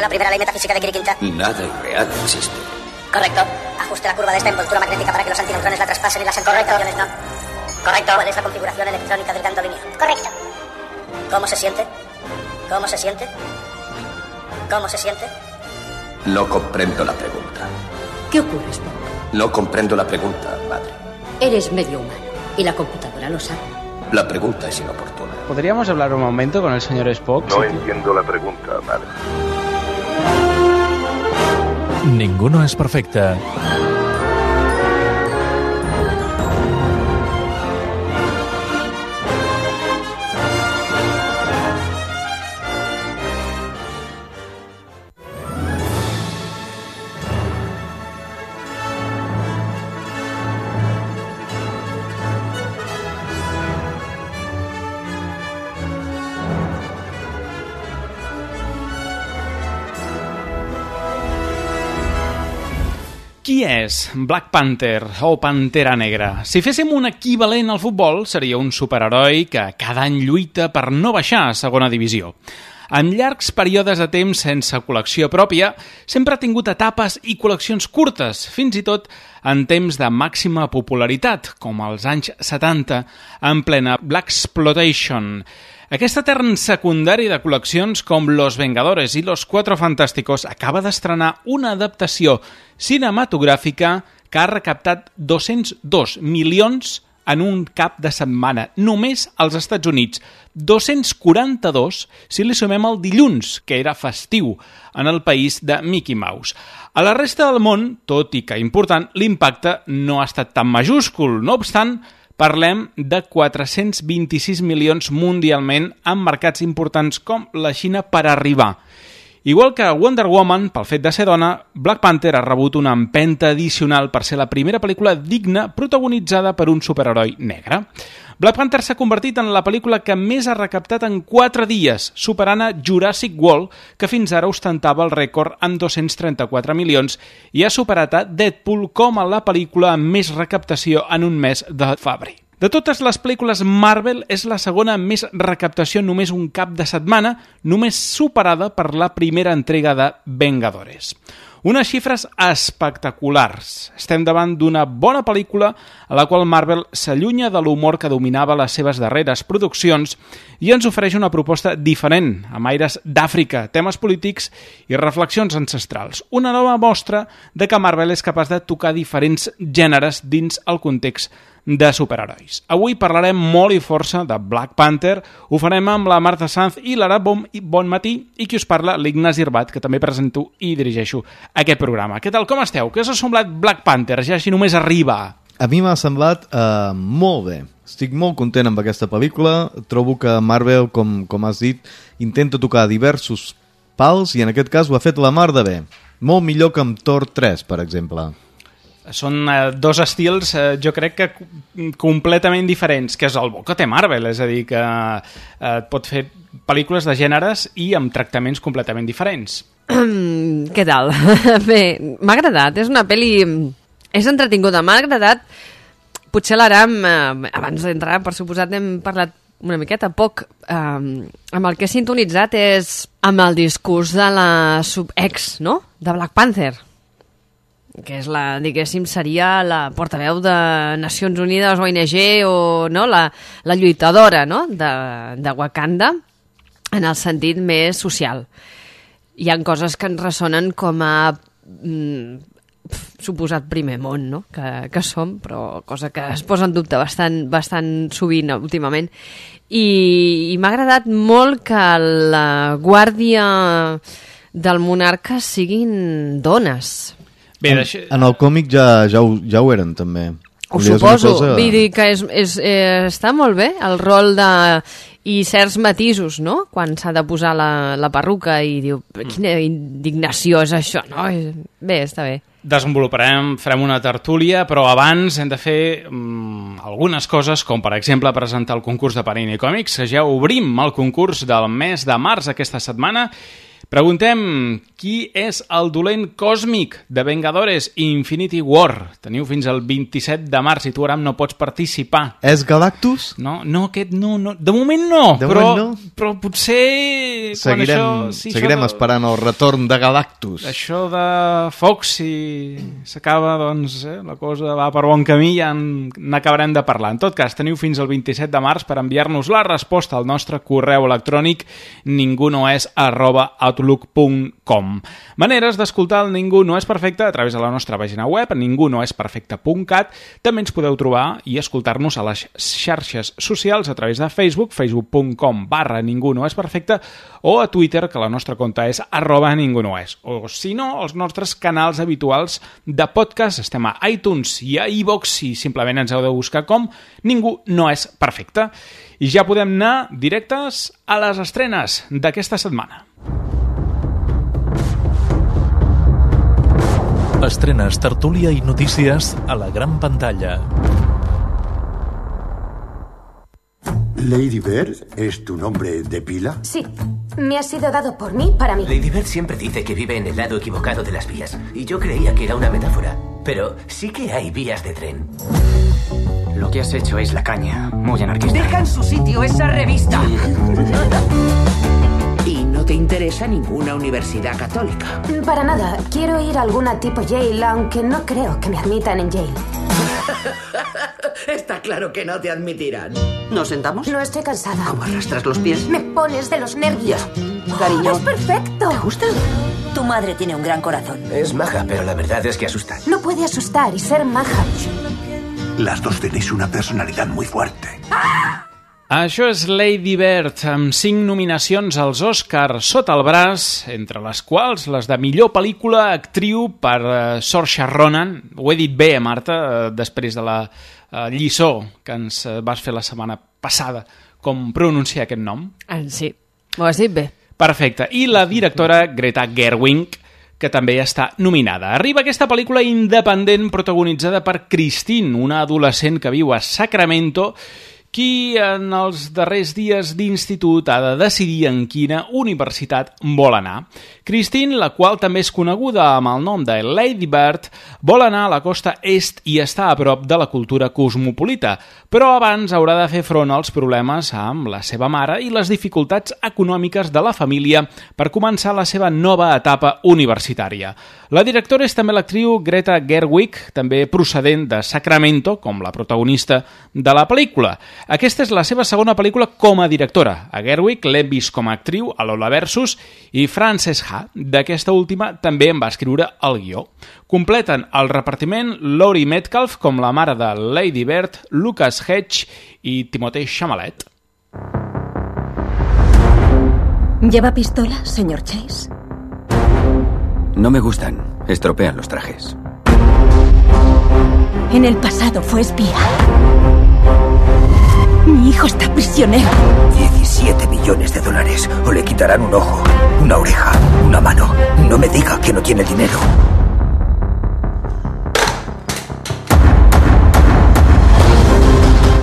la primera ley metafísica de Kirikinta. Nada irreal existe. Correcto. Ajuste la curva de esta envoltura magnética para que los antineutrones la traspasen y las anticonexiones no. Correcto. ¿Cuál es la configuración electrónica del ganto lineal? Correcto. ¿Cómo se siente? ¿Cómo se siente? ¿Cómo se siente? No comprendo la pregunta. ¿Qué ocurre, Spock? No comprendo la pregunta, madre. Eres medio humano y la computadora lo sabe. La pregunta es inoportuna. ¿Podríamos hablar un momento con el señor Spock? No entiendo la pregunta, madre. Ninguno es perfecte. Qui és Black Panther o Pantera Negra? Si féssim un equivalent al futbol, seria un superheroi que cada any lluita per no baixar a segona divisió. En llargs períodes de temps sense col·lecció pròpia, sempre ha tingut etapes i col·leccions curtes, fins i tot en temps de màxima popularitat, com als anys 70, en plena Blaxploitation. Aquest etern secundari de col·leccions com Los Vengadores i Los Cuatro Fantásticos acaba d'estrenar una adaptació cinematogràfica que ha recaptat 202 milions en un cap de setmana, només als Estats Units. 242 si li sumem el dilluns, que era festiu en el país de Mickey Mouse. A la resta del món, tot i que important, l'impacte no ha estat tan majúscul. No obstant, parlem de 426 milions mundialment en mercats importants com la Xina per arribar. Igual que Wonder Woman, pel fet de ser dona, Black Panther ha rebut una empenta addicional per ser la primera pel·lícula digna protagonitzada per un superheroi negre. Black Panther s'ha convertit en la pel·lícula que més ha recaptat en 4 dies, superant a Jurassic World, que fins ara ostentava el rècord amb 234 milions, i ha superat a Deadpool com a la pel·lícula amb més recaptació en un mes de febrer. De totes les pel·lícules Marvel, és la segona amb més recaptació en només un cap de setmana, només superada per la primera entrega de Vengadores. Unes xifres espectaculars. Estem davant d'una bona pel·lícula a la qual Marvel s'allunya de l'humor que dominava les seves darreres produccions i ens ofereix una proposta diferent, amb aires d'Àfrica, temes polítics i reflexions ancestrals. Una nova mostra de que Marvel és capaç de tocar diferents gèneres dins el context de superherois. Avui parlarem molt i força de Black Panther, ho farem amb la Marta Sanz i l'Ara Bonmatí, i qui us parla, l'Ignasi Irbat, que també presento i dirigeixo aquest programa. Què tal, com esteu? Què us ha semblat Black Panther, ja així només arriba? A mi m'ha semblat molt bé. Estic molt content amb aquesta pel·lícula. Trobo que Marvel, com has dit, intenta tocar diversos pals i en aquest cas ho ha fet la mar de bé. Molt millor que amb Thor 3, per exemple. Són dos estils, jo crec que completament diferents, que és el bo que té Marvel, és a dir, que pot fer pel·lícules de gèneres i amb tractaments completament diferents. Què tal? Bé, m'ha agradat, és una pel·li... És entretinguda, m'ha agradat. Potser l'Aram, abans d'entrar, per suposat, hem parlat una miqueta poc. Amb el que he sintonitzat és amb el discurs de la subex, no?, de Black Panther, que és la, diguéssim, seria la portaveu de Nacions Unides, ONG, o no, la lluitadora, no?, de Wakanda, en el sentit més social. Hi ha coses que ens ressonen com a suposat primer món, no?, que som, però cosa que es posa en dubte bastant sovint últimament. I m'ha agradat molt que la guàrdia del monarca siguin dones. Bé, en el còmic ja ho eren, també. Ho suposo, vull dir que està molt bé el rol i certs matisos, no?, quan s'ha de posar la perruca i diu, quina indignació és això, no? Bé, està bé. Farem una tertúlia, però abans hem de fer algunes coses, com per exemple presentar el concurs de Panini Còmics, que ja obrim el concurs del mes de març aquesta setmana. Preguntem qui és el dolent còsmic de Vengadores Infinity War. Teniu fins al 27 de març i tu, Aram, no pots participar. És Galactus? No, aquest no. De moment no, però potser... Seguirem esperant el retorn de Galactus. Això de Fox, si s'acaba, doncs, la cosa va per bon camí, ja n'acabarem de parlar. En tot cas, teniu fins al 27 de març per enviar-nos la resposta al nostre correu electrònic ningunoes@outlook.com. Maneres d'escoltar el Ningú no és perfecte a través de la nostra pàgina web, ningunoesperfecte.cat. També ens podeu trobar i escoltar-nos a les xarxes socials a través de Facebook, facebook.com/ningunoesperfecte, o a Twitter, que la nostra compte és @ningunoes. O, si no, els nostres canals habituals de podcast. Estem a iTunes i a iVoox i simplement ens heu de buscar com Ningú no és perfecte. I ja podem anar directes a les estrenes d'aquesta setmana. Estrenes, tertúlia i notícies a la gran pantalla. ¿Lady Bird es tu nombre de pila? Sí, me ha sido dado por mí para mí. Lady Bird siempre dice que vive en el lado equivocado de las vías, y yo creía que era una metáfora, pero sí que hay vías de tren. Lo que has hecho es la caña, muy anarquista. Deja en su sitio esa revista. ¿Y no te interesa ninguna universidad católica? Para nada, quiero ir a alguna tipo Yale, aunque no creo que me admitan en Yale. Está claro que no te admitirán. ¿Nos sentamos? No estoy cansada. ¿Cómo arrastras los pies? Me pones de los nervios. Cariño. ¡Es perfecto! ¿Te gusta? Tu madre tiene un gran corazón. Es maja, pero la verdad es que asusta. No puede asustar y ser maja. Las dos tenéis una personalidad muy fuerte. Això és Lady Bird, amb 5 nominacions als Oscars sota el braç, entre les quals les de millor pel·lícula actriu per Saoirse Ronan. Ho he dit bé, Marta, després de la lliçó que ens vas fer la setmana passada, com pronunciar aquest nom. Sí, ho has dit bé. Perfecte. I la directora Greta Gerwig, que també està nominada. Arriba aquesta pel·lícula independent protagonitzada per Christine, una adolescent que viu a Sacramento, qui en els darrers dies d'institut ha de decidir en quina universitat vol anar. Christine, la qual també és coneguda amb el nom de Lady Bird, vol anar a la costa est i està a prop de la cultura cosmopolita, però abans haurà de fer front als problemes amb la seva mare i les dificultats econòmiques de la família per començar la seva nova etapa universitària. La directora és també l'actriu Greta Gerwig, també procedent de Sacramento, com la protagonista de la pel·lícula. Aquesta és la seva segona pel·lícula com a directora. A Gerwig l'hem vist com a actriu a Lola Versus i Frances Ha, d'aquesta última, també en va escriure el guió. Completen el repartiment Laurie Metcalf com la mare de Lady Bird, Lucas Hedge i Timothée Chalamet. ¿Lleva pistola, señor Chase? No me gustan. Estropean los trajes. En el pasado fue espía. Mi hijo está prisionero. 17 millones de dólares. O le quitarán un ojo, una oreja, una mano. No me diga que no tiene dinero.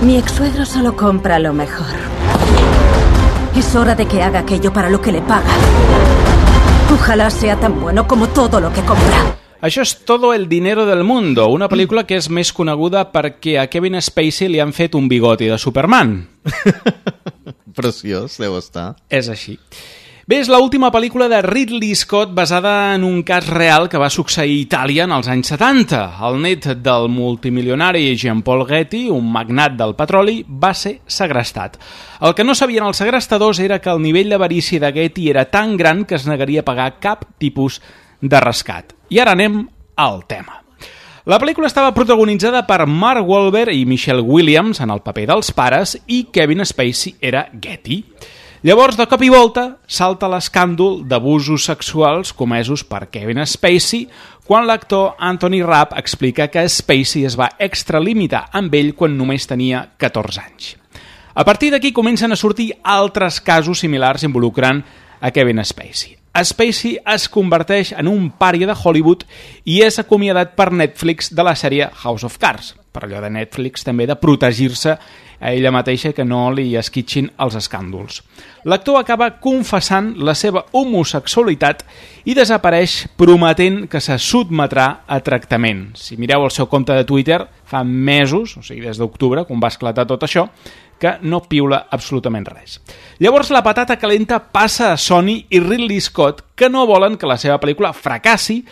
Mi ex-suegro solo compra lo mejor. Es hora de que haga aquello para lo que le paga. Ojalá sea tan bueno como todo lo que compra. Això és Todo el dinero del mundo, una pel·lícula que és més coneguda perquè a Kevin Spacey li han fet un bigoti de Superman. Preciós, deu estar. És així. Bé, és l'última pel·lícula de Ridley Scott basada en un cas real que va succeir a Itàlia en els anys 70. El net del multimilionari Jean-Paul Getty, un magnat del petroli, va ser segrestat. El que no sabien els segrestadors era que el nivell d'avarícia de Getty era tan gran que es negaria a pagar cap tipus de rescat. I ara anem al tema. La pel·lícula estava protagonitzada per Mark Wahlberg i Michelle Williams en el paper dels pares i Kevin Spacey era Getty. Llavors, de cop i volta, salta l'escàndol d'abusos sexuals comesos per Kevin Spacey quan l'actor Anthony Rapp explica que Spacey es va extralimitar amb ell quan només tenia 14 anys. A partir d'aquí comencen a sortir altres casos similars involucrant a Kevin Spacey. Spacey es converteix en un pària de Hollywood i és acomiadat per Netflix de la sèrie House of Cards, per allò de Netflix també de protegir-se a ella mateixa que no li esquitxin els escàndols. L'actor acaba confessant la seva homosexualitat i desapareix prometent que se sotmetrà a tractament. Si mireu el seu compte de Twitter, fa mesos, o sigui des d'octubre, quan va esclatar tot això, que no piula absolutament res. Llavors la patata calenta passa a Sony i Ridley Scott, que no volen que la seva pel·lícula fracassi,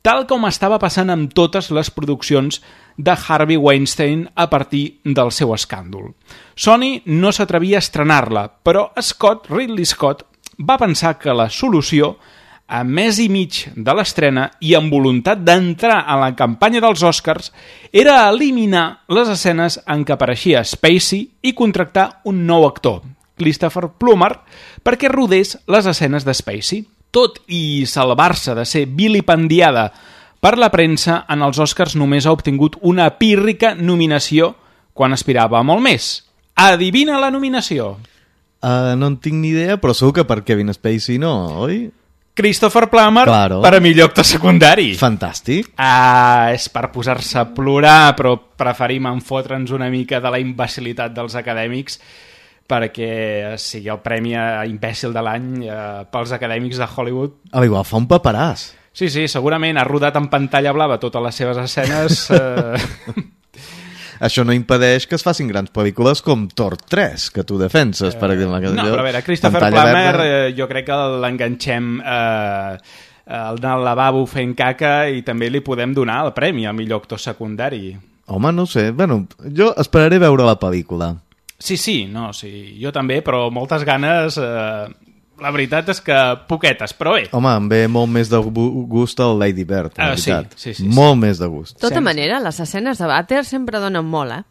tal com estava passant amb totes les produccions de Harvey Weinstein a partir del seu escàndol. Sony no s'atrevia a estrenar-la, però Ridley Scott, va pensar que la solució, a mes i mig de l'estrena i amb voluntat d'entrar a la campanya dels Oscars, era eliminar les escenes en què apareixia Spacey i contractar un nou actor, Christopher Plummer, perquè rodés les escenes de Spacey. Tot i salvar-se de ser vilipendiada per la premsa, en els Oscars només ha obtingut una pírrica nominació quan aspirava a molt més. Adivina la nominació. No en tinc ni idea, però segur que per Kevin Spacey no, oi? Christopher Plummer, claro, per a millor actor secundari. Fantàstic. És per posar-se a plorar, però preferim enfotre'ns una mica de la imbecilitat dels acadèmics perquè sigui el premi a imbècil de l'any pels acadèmics de Hollywood. Igual fa un paperàs. Sí, segurament ha rodat en pantalla blava totes les seves escenes. Això no impedeix que es facin grans pel·lícules com Thor 3, que tu defenses, per exemple. No, però a veure, Christopher Plummer jo crec que l'enganxem al lavabo fent caca i també li podem donar el premi a millor actor secundari. Home, no sé. Bueno, jo esperaré veure la pel·lícula. Sí, jo també, però moltes ganes... La veritat és que poquetes, però bé. Home, em ve molt més de gust el Lady Bird, la veritat. Sí. Molt més de gust. De tota manera, les escenes de vàter sempre donen molt,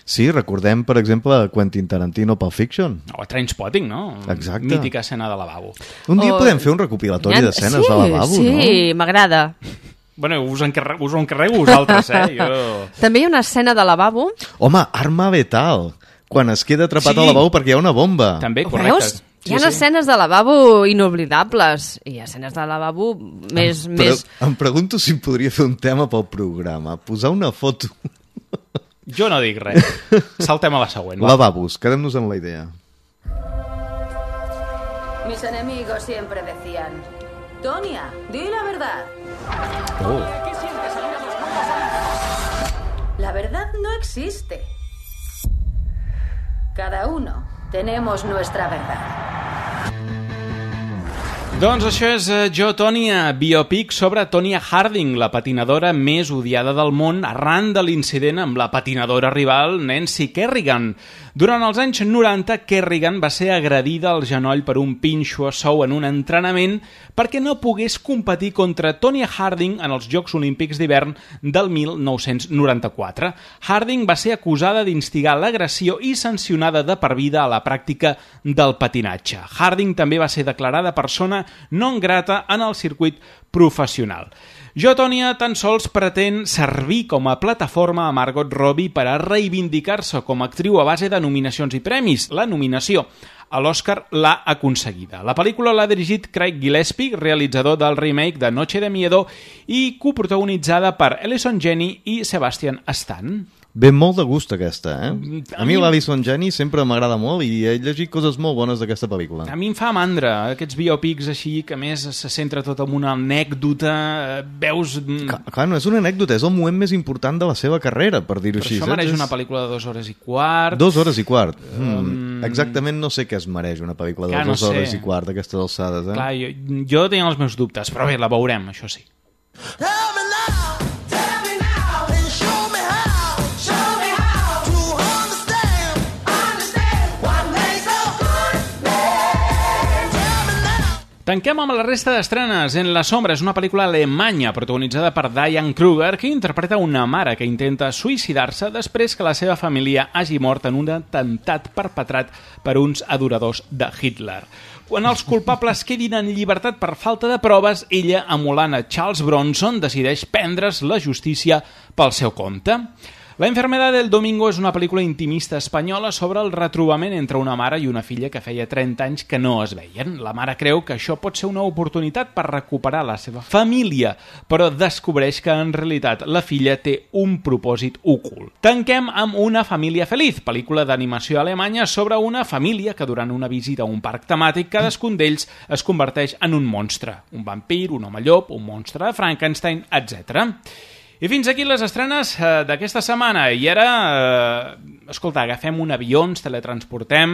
Sí, recordem, per exemple, Quentin Tarantino Pulp Fiction. O Trainspotting, no? Exacte. Mítica escena de lavabo. Un dia podem fer un recopilatori d'escenes de lavabo, no? Sí, m'agrada. Bueno, us ho encarrego vosaltres, Jo... També hi ha una escena de lavabo. Home, Arma Letal, quan es queda atrapat al lavabo perquè hi ha una bomba. També, correcte. Veus? Hi ha escenes de lavabo inoblidables i hi ha escenes de lavabo més... Em pregunto si podria fer un tema pel programa. Posar una foto... Jo no dic res. Saltem a la següent. Lavabos, quedem-nos amb la idea. Mis enemigos siempre decían: Tonya, di la verdad. ¿Qué sientes al ir a los mundos? La verdad no existe. Cada uno tenemos nuestra verdad. Doncs això és Jo, Tonya, biopic sobre Tonya Harding, la patinadora més odiada del món arran de l'incident amb la patinadora rival Nancy Kerrigan. Durant els anys 90, Kerrigan va ser agredida al genoll per un pinxo a sou en un entrenament perquè no pogués competir contra Tonya Harding en els Jocs Olímpics d'hivern del 1994. Harding va ser acusada d'instigar l'agressió i sancionada de per vida a la pràctica del patinatge. Harding també va ser declarada persona non grata en el circuit professional. Jo, Tonya, tan sols pretén servir com a plataforma a Margot Robbie per a reivindicar-se com a actriu a base de nominacions i premis. La nominació a l'Oscar l'ha aconseguida. La pel·lícula l'ha dirigit Craig Gillespie, realitzador del remake de Noche de Miedo i coprotagonitzada per Allison Janney i Sebastian Stan. Ve molt de gust aquesta, A mi l'Allison Janney sempre m'agrada molt i he llegit coses molt bones d'aquesta pel·lícula. A mi em fa mandra, aquests biopics així, que a més se centra tot en una anècdota, veus... Clar, no és una anècdota, és el moment més important de la seva carrera, per dir-ho així. Però això mereix una pel·lícula de 2 hores i quart. 2 hores i quart. Exactament no sé què es mereix una pel·lícula de 2 hores i quart d'aquestes alçades, Clar, jo tinc els meus dubtes, però bé, la veurem, això sí. Tanquem amb la resta d'estrenes. En la sombra és una pel·lícula alemanya protagonitzada per Diane Kruger, que interpreta una mare que intenta suïcidar-se després que la seva família hagi mort en un atemptat perpetrat per uns adoradors de Hitler. Quan els culpables quedin en llibertat per falta de proves, ella, emulant a Charles Bronson, decideix prendre's la justícia pel seu compte. La enfermedad del domingo és una pel·lícula intimista espanyola sobre el retrobament entre una mare i una filla que feia 30 anys que no es veien. La mare creu que això pot ser una oportunitat per recuperar la seva família, però descobreix que en realitat la filla té un propòsit ocult. Tanquem amb Una família feliç, pel·lícula d'animació alemanya sobre una família que durant una visita a un parc temàtic cadascun d'ells es converteix en un monstre. Un vampir, un home llop, un monstre de Frankenstein, etc. I fins aquí les estrenes d'aquesta setmana. I ara, escolta, agafem un avió, ens teletransportem,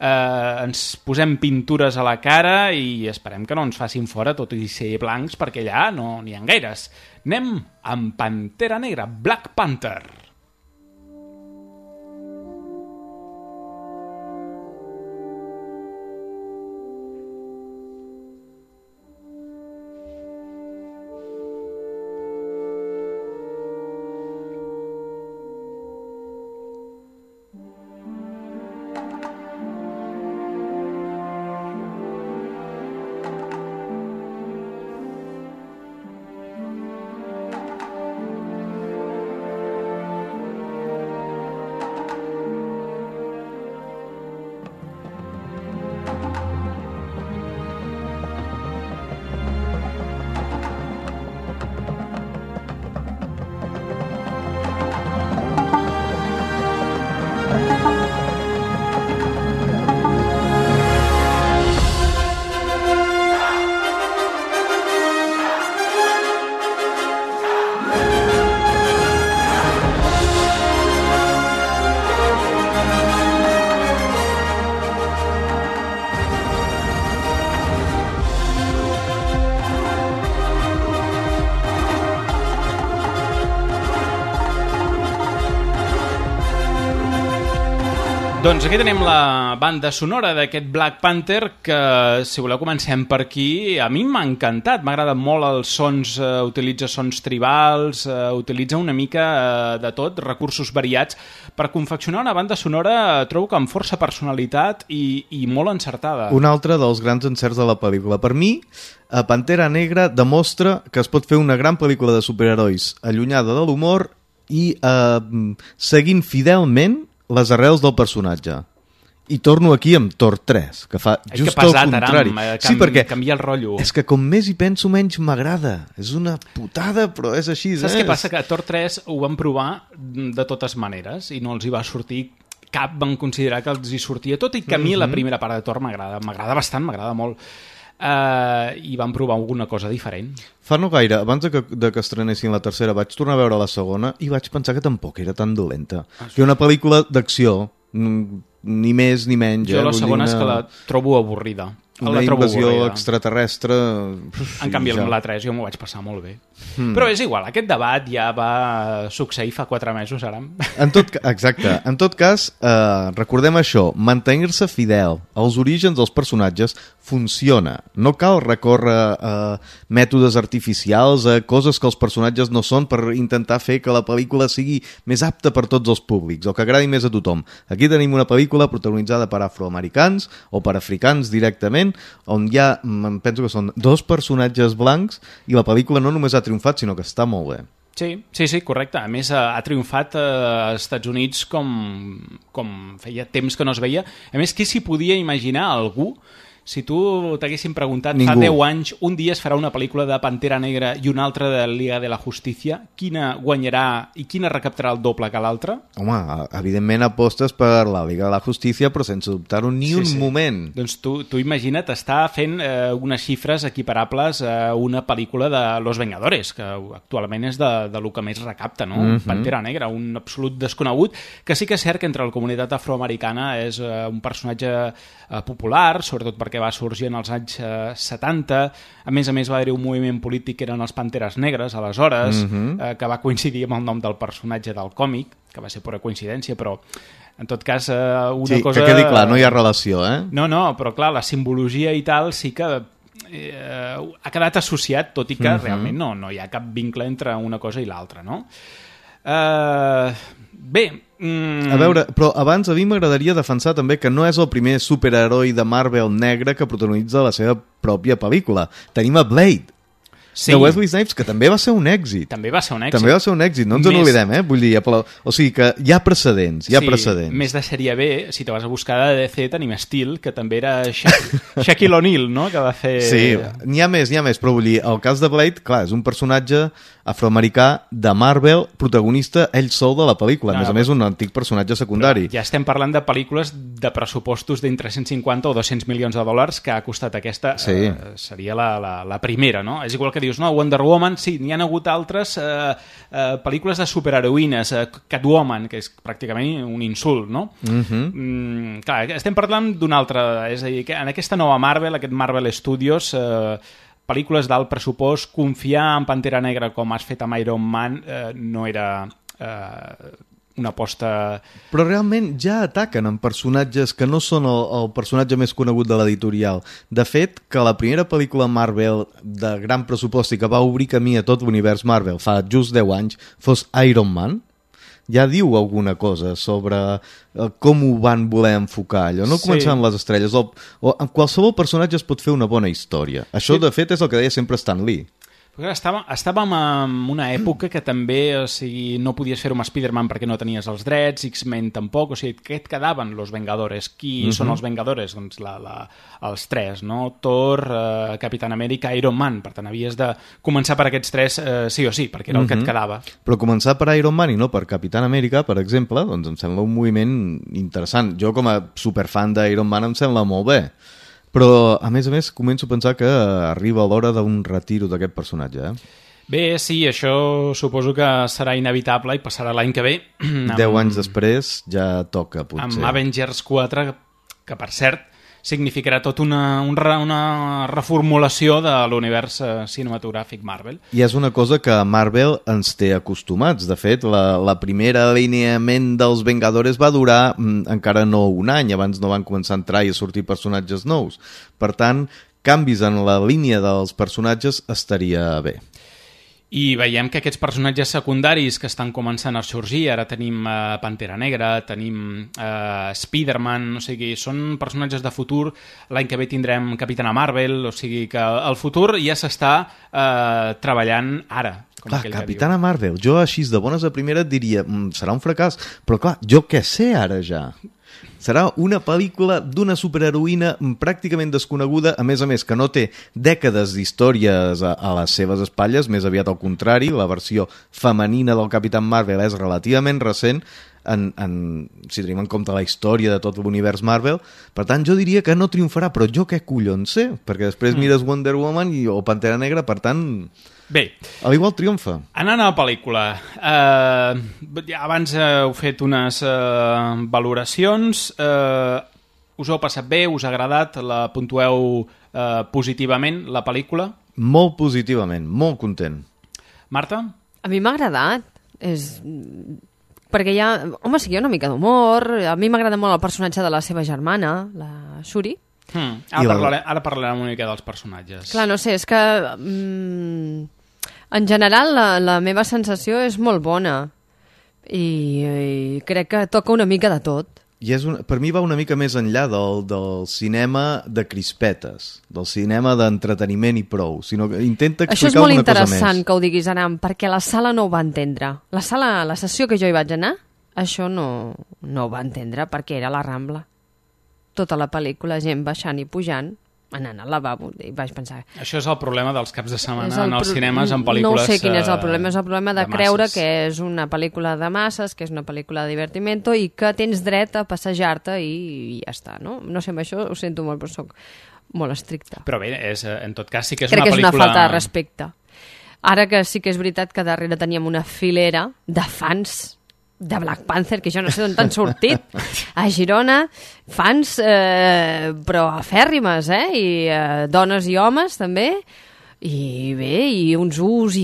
ens posem pintures a la cara i esperem que no ens facin fora, tot i ser blancs, perquè allà no n'hi ha gaires. Anem amb Pantera Negra, Black Panther. Doncs aquí tenim la banda sonora d'aquest Black Panther que, si voleu, comencem per aquí. A mi m'ha encantat, m'ha agradat molt els sons, utilitza sons tribals, utilitza una mica de tot, recursos variats, per confeccionar una banda sonora, trobo que amb força personalitat i molt encertada. Un altre dels grans encerts de la pel·lícula. Per mi, Pantera Negra demostra que es pot fer una gran pel·lícula de superherois allunyada de l'humor i seguint fidelment les arrels del personatge. I torno aquí amb Thor 3, que fa just el contrari. Sí, perquè canvia el rotllo. És que com més hi penso, menys m'agrada. És una putada, però és així. Saps què passa? Que Thor 3 ho van provar de totes maneres i no els hi va sortir cap, van considerar que els hi sortia tot, i que a mi la primera part de Thor m'agrada bastant, m'agrada molt. I van provar alguna cosa diferent. Fa no gaire, abans de que estrenessin la tercera, vaig tornar a veure la segona i vaig pensar que tampoc era tan dolenta. Que una pel·lícula d'acció, ni més ni menys. Jo la segona és que la trobo avorrida. Una invasió extraterrestre. En canvi, amb la 3 jo m'ho vaig passar molt bé. Però és igual, aquest debat ja va succeir fa 4 mesos ara. Exacte. En tot cas, recordem això, mantenir-se fidel als orígens dels personatges funciona. No cal recórrer a mètodes artificials, a coses que els personatges no són, per intentar fer que la pel·lícula sigui més apta per tots els públics, o que agradi més a tothom. Aquí tenim una pel·lícula protagonitzada per afroamericans o per africans directament, on hi ha, penso que són 2 personatges blancs, i la pel·lícula no només ha triomfat, sinó que està molt bé. Sí, correcte. A més, ha triomfat als Estats Units com feia temps que no es veia. A més, qui s'hi podia imaginar algú? Si tu t'haguessin preguntat fa 10 anys, un dia es farà una pel·lícula de Pantera Negra i una altra de Liga de la Justícia, quina guanyarà i quina recaptarà el doble que l'altra? Home, evidentment apostes per la Liga de la Justícia, però sense dubtar-ho ni un moment. Doncs tu imagina't estar fent unes xifres equiparables a una pel·lícula de Los Vengadores, que actualment és de lo que més recapta, no? Pantera Negra, un absolut desconegut, que sí que és cert que entre la comunitat afroamericana és un personatge popular, sobretot perquè va sorgir en els anys 70. A més va haver-hi un moviment polític que eren els Panteres Negres, aleshores, que va coincidir amb el nom del personatge del còmic, que va ser pura coincidència, però en tot cas una cosa... Sí, que quedi clar, no hi ha relació, eh? No, però clar, la simbologia i tal sí que ha quedat associat, tot i que realment no hi ha cap vincle entre una cosa i l'altra, no? Bé... A veure, però abans a mi m'agradaria defensar també que no és el primer superheroi de Marvel negre que protagonitza la seva pròpia pel·lícula. Tenim a Blade. de Wesley Snipes, que també va ser un èxit. També va ser un èxit. També va ser un èxit, no ens n'oblidem, Vull dir, o sigui que hi ha precedents, precedents. Més de sèrie B, si te vas a buscar de DC, tenim Steel, que també era Shaquille O'Neal, no?, que va fer... Sí, n'hi ha més, però vull dir, el cas de Blade, clar, és un personatge afroamericà de Marvel, protagonista ell sol de la pel·lícula, a més un antic personatge secundari. Però ja estem parlant de pel·lícules de pressupostos d'entre 150 o 200 milions de dòlars que ha costat aquesta, seria la primera, no? És igual que dius, no, Wonder Woman, sí, n'hi ha hagut altres pel·lícules de superheroïnes, Catwoman, que és pràcticament un insult, no? Clar, estem parlant d'una altra, és a dir, que en aquesta nova Marvel, aquest Marvel Studios, pel·lícules d'alt pressupost, confiar en Pantera Negra com has fet amb Iron Man no era una aposta... Però realment ja ataquen en personatges que no són el personatge més conegut de l'editorial. De fet, que la primera pel·lícula Marvel de gran pressupost i que va obrir camí a tot l'univers Marvel fa just 10 anys fos Iron Man, ja diu alguna cosa sobre com ho van voler enfocar allò, no començant les estrelles o amb qualsevol personatge es pot fer una bona història. Això de fet és el que deia sempre Stan Lee. Estàvem en una època que també, o sigui, no podies fer-ho amb Spider-Man perquè no tenies els drets, X-Men tampoc, o sigui, què et quedaven los Vengadores? Qui són els Vengadores? Doncs els tres, no? Thor, Capitán Amèrica, Iron Man, per tant havies de començar per aquests tres sí o sí, perquè era el que et quedava. Però començar per Iron Man i no per Capitán Amèrica, per exemple, doncs em sembla un moviment interessant. Jo com a superfan d'Iron Man em sembla molt bé. Però, a més, començo a pensar que arriba l'hora d'un retiro d'aquest personatge, Bé, sí, això suposo que serà inevitable i passarà l'any que ve. 10 anys després ja toca, potser. Amb Avengers 4, que per cert significarà tot una reformulació de l'univers cinematogràfic Marvel. I és una cosa que Marvel ens té acostumats. De fet, la primera alineament dels Vengadores va durar encara no un any, abans no van començar a entrar i a sortir personatges nous. Per tant, canvis en la línia dels personatges estaria bé. I veiem que aquests personatges secundaris que estan començant a sorgir, ara tenim Pantera Negra, tenim Spider-Man, o sigui, són personatges de futur. L'any que ve tindrem Capitana Marvel, o sigui que el futur ja s'està treballant ara. Clar, Capitana Marvel, jo així de bones a primera et diria, serà un fracàs, però clar, jo què sé ara ja? Serà una pel·lícula d'una superheroïna pràcticament desconeguda, a més, que no té dècades d'històries a les seves espatlles, més aviat al contrari, la versió femenina del Capitán Marvel és relativament recent, si tenim en compte la història de tot l'univers Marvel. Per tant, jo diria que no triomfarà, però jo què collons sé? Perquè després mires Wonder Woman o Pantera Negra, per tant... Bé, a l'igual triomfa. Anant a la pel·lícula, abans heu fet unes valoracions, us heu passat bé, us ha agradat, la puntueu positivament, la pel·lícula? Molt positivament, molt content. Marta? A mi m'ha agradat, perquè hi ha, sí, hi ha una mica d'humor, a mi m'agrada molt el personatge de la seva germana, la Shuri. Ara parlarem una mica dels personatges. Clar, no sé, és que en general la meva sensació és molt bona i crec que toca una mica de tot. I per mi va una mica més enllà del cinema de crispetes, del cinema d'entreteniment i prou, sinó que intenta explicar una cosa més. Això és molt interessant que ho diguis, Aram, perquè la sala no ho va entendre. La sessió que jo hi vaig anar, això no ho va entendre perquè era la Rambla. Tota la pel·lícula, gent baixant i pujant, anant al lavabo, i vaig pensar... Això és el problema dels caps de setmana en els cinemes, en pel·lícules... No sé quin és el problema, és el problema de creure que és una pel·lícula de masses, que és una pel·lícula de divertimento i que tens dret a passejar-te i ja està, no? No sé, amb això ho sento molt, però soc molt estricta. Però bé, en tot cas sí que és una pel·lícula... Crec que és una falta de respecte. Ara que sí que és veritat que darrere teníem una filera de fans de Black Panther, que jo no sé d'on t'han sortit, a Girona, fans, però afèrrimes, i dones i homes, també, i bé, i uns us,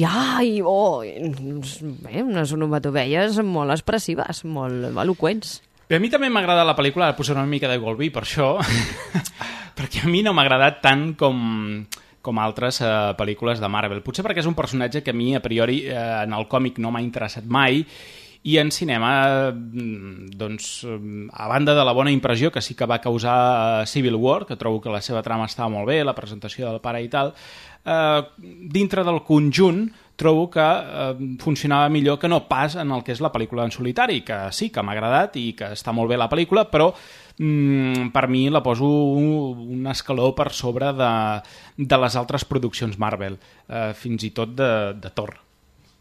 unes onomatopeies molt expressives, molt eloqüents. Bé, a mi també m'ha agradat la pel·lícula, ara posaré una mica de Golby per això, perquè a mi no m'ha agradat tant com altres pel·lícules de Marvel. Potser perquè és un personatge que a mi, a priori, en el còmic no m'ha interessat mai, I en cinema, doncs, a banda de la bona impressió que sí que va causar Civil War, que trobo que la seva trama estava molt bé, la presentació del pare i tal, dintre del conjunt trobo que funcionava millor que no pas en el que és la pel·lícula en solitari, que sí, que m'ha agradat i que està molt bé la pel·lícula, però per mi la poso un escaló per sobre de les altres produccions Marvel, fins i tot de Thor.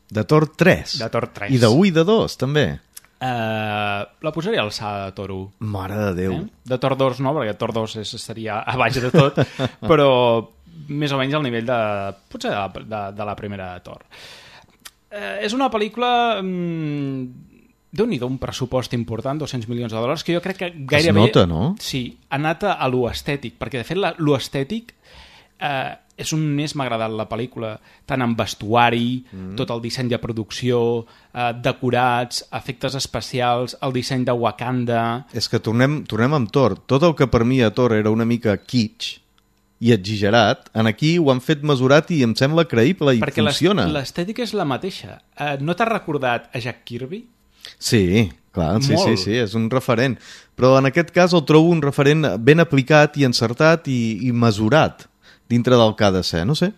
De Thor 3? De Thor 3. I de 1 i de 2, també? La posaria a l'alçada de Thor 1. Mare de Déu. De Thor 2 no, perquè Thor 2 estaria a baix de tot, però més o menys al nivell potser de la primera de Thor. És una pel·lícula Déu-n'hi-do, un pressupost important, $200 milions, que jo crec que gairebé... Es nota, no? Sí, ha anat a lo estètic, perquè de fet lo estètic és on més m'ha agradat la pel·lícula, tant en vestuari, tot el disseny de producció, decorats, efectes especials, el disseny de Wakanda... És que tornem amb Thor. Tot el que per mi a Thor era una mica kitsch i exagerat, en aquí ho han fet mesurat i em sembla creïble i perquè funciona. Perquè l'estètica és la mateixa. No t'has recordat a Jack Kirby? Sí, clar, sí, és un referent. Però en aquest cas el trobo un referent ben aplicat i encertat i mesurat dintre del que ha de ser, no sé.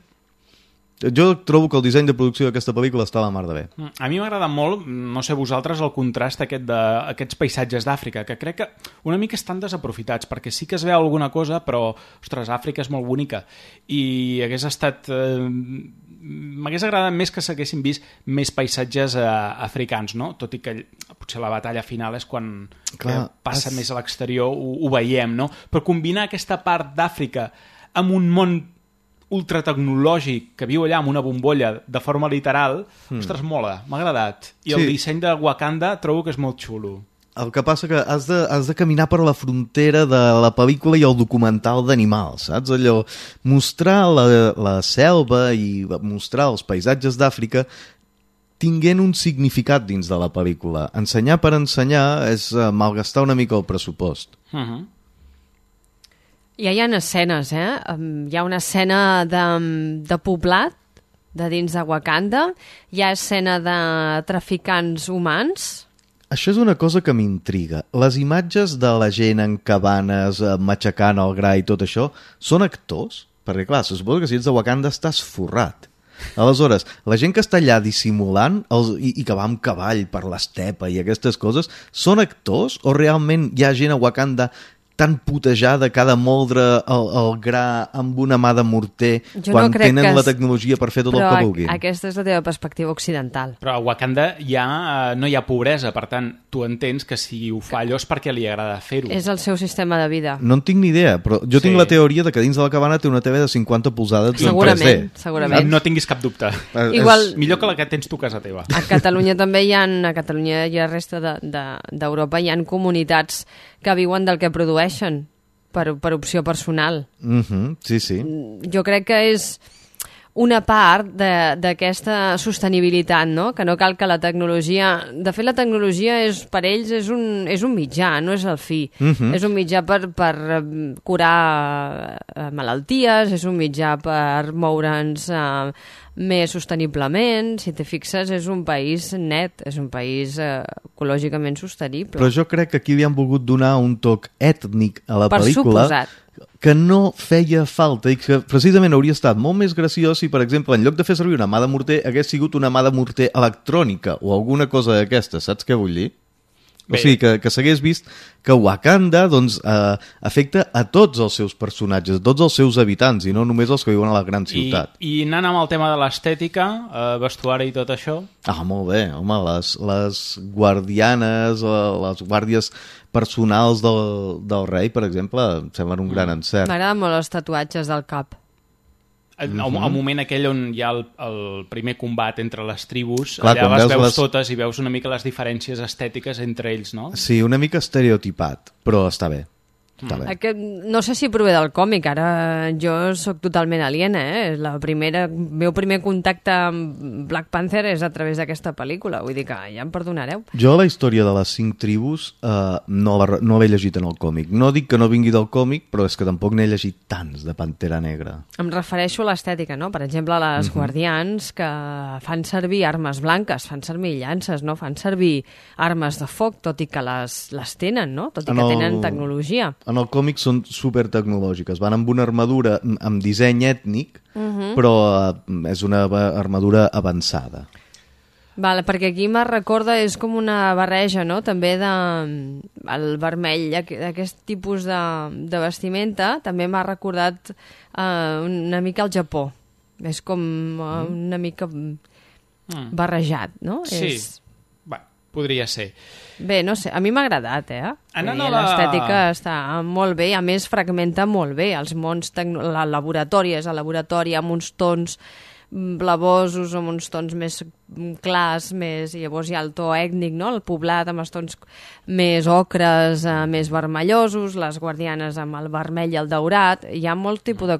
Jo trobo que el disseny de producció d'aquesta pel·lícula està a la mar de bé. A mi m'agrada molt, no sé vosaltres, el contrast d'aquests paisatges d'Àfrica, que crec que una mica estan desaprofitats, perquè sí que es veu alguna cosa, però, ostres, Àfrica és molt bonica. I hagués estat... m'hagués agradat més que s'haguessin vist més paisatges africans, no? Tot i que potser la batalla final és quan passa més a l'exterior, ho veiem, no? Però combinar aquesta part d'Àfrica amb un món ultratecnològic que viu allà amb una bombolla de forma literal, ostres, mola, m'ha agradat. I el disseny de Wakanda trobo que és molt xulo. El que passa que has de caminar per la frontera de la pel·lícula i el documental d'animals, saps? Allò, mostrar la selva i mostrar els paisatges d'Àfrica tinguent un significat dins de la pel·lícula. Ensenyar per ensenyar és malgastar una mica el pressupost. Ja hi ha escenes, hi ha una escena de poblat de dins de Wakanda, hi ha escena de traficants humans. Això és una cosa que m'intriga. Les imatges de la gent en cabanes, matxacant el gra i tot això, són actors? Perquè clar, se suposa que si ets de Wakanda estàs forrat. Aleshores, la gent que està allà dissimulant i que va amb cavall per l'estepa i aquestes coses, són actors o realment hi ha gent a Wakanda tan putejada que ha de moldre el gra amb una mà de morter quan tenen la tecnologia per fer tot el que vulguin? Però aquesta és la teva perspectiva occidental. Però a Wakanda no hi ha pobresa, per tant, tu entens que si ho fa allò és perquè li agrada fer-ho. És el seu sistema de vida. No en tinc ni idea, però jo tinc la teoria de que dins de la cabana té una TV de 50 polzades en 3D. Segurament. No tinguis cap dubte. Igual, millor que la que tens tu a casa teva. A Catalunya també hi ha resta d'Europa hi ha comunitats que viuen del que produeixen per opció personal. Sí, sí. Jo crec que és una part d'aquesta sostenibilitat, no? Que no cal que la tecnologia... De fet, la tecnologia per ells és un mitjà, no és el fi. És un mitjà per curar malalties, és un mitjà per moure'ns més sosteniblement. Si te fixes, és un país net, és un país ecològicament sostenible. Però jo crec que aquí li han volgut donar un toc ètnic a la pel·lícula que no feia falta i que precisament hauria estat molt més graciós si, per exemple, en lloc de fer servir una mà de morter hagués sigut una mà de morter electrònica o alguna cosa d'aquesta, saps què vull dir? Bé. O sigui, que s'hagués vist que Wakanda doncs, afecta a tots els seus personatges, a tots els seus habitants, i no només els que viuen a la gran ciutat. I anant amb el tema de l'estètica, vestuari i tot això... Molt bé, home, les guardianes, les guàrdies personals del rei, per exemple, em semblen un gran encert. M'agraden molt els tatuatges del cap. El moment aquell on hi ha el primer combat entre les tribus, allà les veus totes i veus una mica les diferències estètiques entre ells, no? Sí, una mica estereotipat, però està bé. No sé si prové del còmic, ara jo sóc totalment aliena, el meu primer contacte amb Black Panther és a través d'aquesta pel·lícula, vull dir que ja em perdonareu. Jo la història de les 5 tribus no l'he llegit en el còmic. No dic que no vingui del còmic, però és que tampoc n'he llegit tants de Pantera Negra. Em refereixo a l'estètica, no? Per exemple, les guardians que fan servir armes blanques, fan servir llances, no? Fan servir armes de foc, tot i que les tenen, no? Tot i que tenen tecnologia. En el còmic són supertecnològiques. Van amb una armadura amb disseny ètnic, però és una armadura avançada. Vale, perquè aquí me recorda, és com una barreja, no? També el vermell, aquest tipus de vestimenta, també m'ha recordat una mica el Japó. És com una mica barrejat, no? Sí, podria ser. Bé, no sé, a mi m'ha agradat, l'estètica està molt bé, a més fragmenta molt bé els mons, el laboratori és el laboratori amb uns tons blavosos, amb uns tons més clars, i llavors hi ha el to ètnic, no? El poblat amb els tons més ocres, més vermellosos, les guardianes amb el vermell i el daurat. Hi ha molt tipus de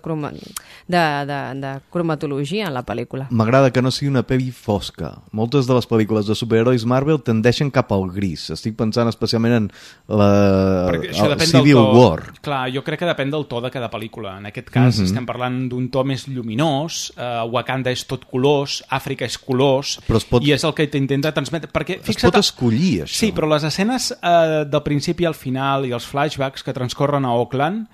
cromatologia en la pel·lícula. M'agrada que no sigui una pel·li fosca. Moltes de les pel·lícules de superherois Marvel tendeixen cap al gris. Estic pensant especialment en el Civil War. Clar, jo crec que depèn del to de cada pel·lícula. En aquest cas estem parlant d'un to més lluminós, Wakanda és tot colors, Àfrica és colors, i és el que t'intenta transmetre. Es pot escollir, això. Sí, però les escenes del principi al final i els flashbacks que transcorren a Auckland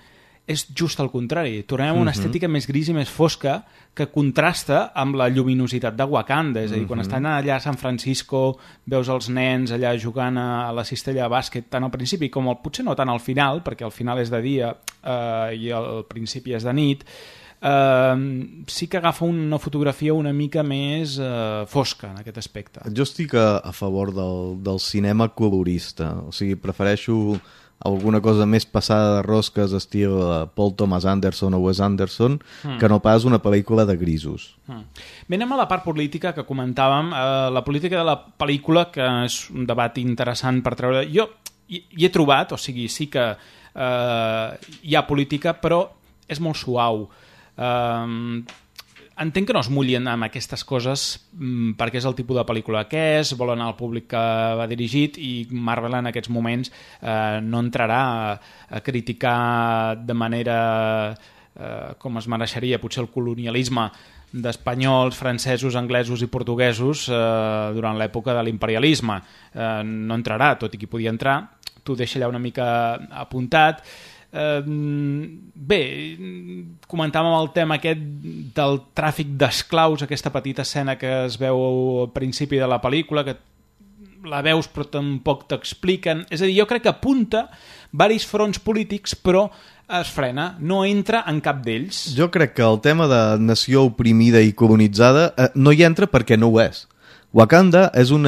és just al contrari. Tornem a una estètica més gris i més fosca que contrasta amb la lluminositat de Wakanda. És a dir, quan estan allà a San Francisco, veus els nens allà jugant a la cistella de bàsquet, tant al principi com potser no tant al final, perquè al final és de dia i al principi és de nit, sí que agafa una fotografia una mica més fosca en aquest aspecte. Jo estic a favor del cinema colorista, o sigui, prefereixo alguna cosa més passada de rosques estil Paul Thomas Anderson o Wes Anderson que no pas una pel·lícula de grisos. Bé, anem a la part política que comentàvem, la política de la pel·lícula, que és un debat interessant per treure. Jo hi he trobat, o sigui, sí que hi ha política, però és molt suau. Entenc que no es mullin amb aquestes coses perquè és el tipus de pel·lícula que és, volen al públic que va dirigit, i Marvel en aquests moments no entrarà a criticar de manera com es mereixeria potser el colonialisme d'espanyols, francesos, anglesos i portuguesos durant l'època de l'imperialisme. No entrarà, tot i que podia entrar. T'ho deixa allà una mica apuntat. Bé, comentàvem el tema aquest del tràfic d'esclaus, aquesta petita escena que es veu al principi de la pel·lícula, que la veus però tampoc t'expliquen. És a dir, jo crec que apunta varis fronts polítics, però es frena, no entra en cap d'ells. Jo crec que el tema de nació oprimida i colonitzada no hi entra perquè no ho és. Wakanda és un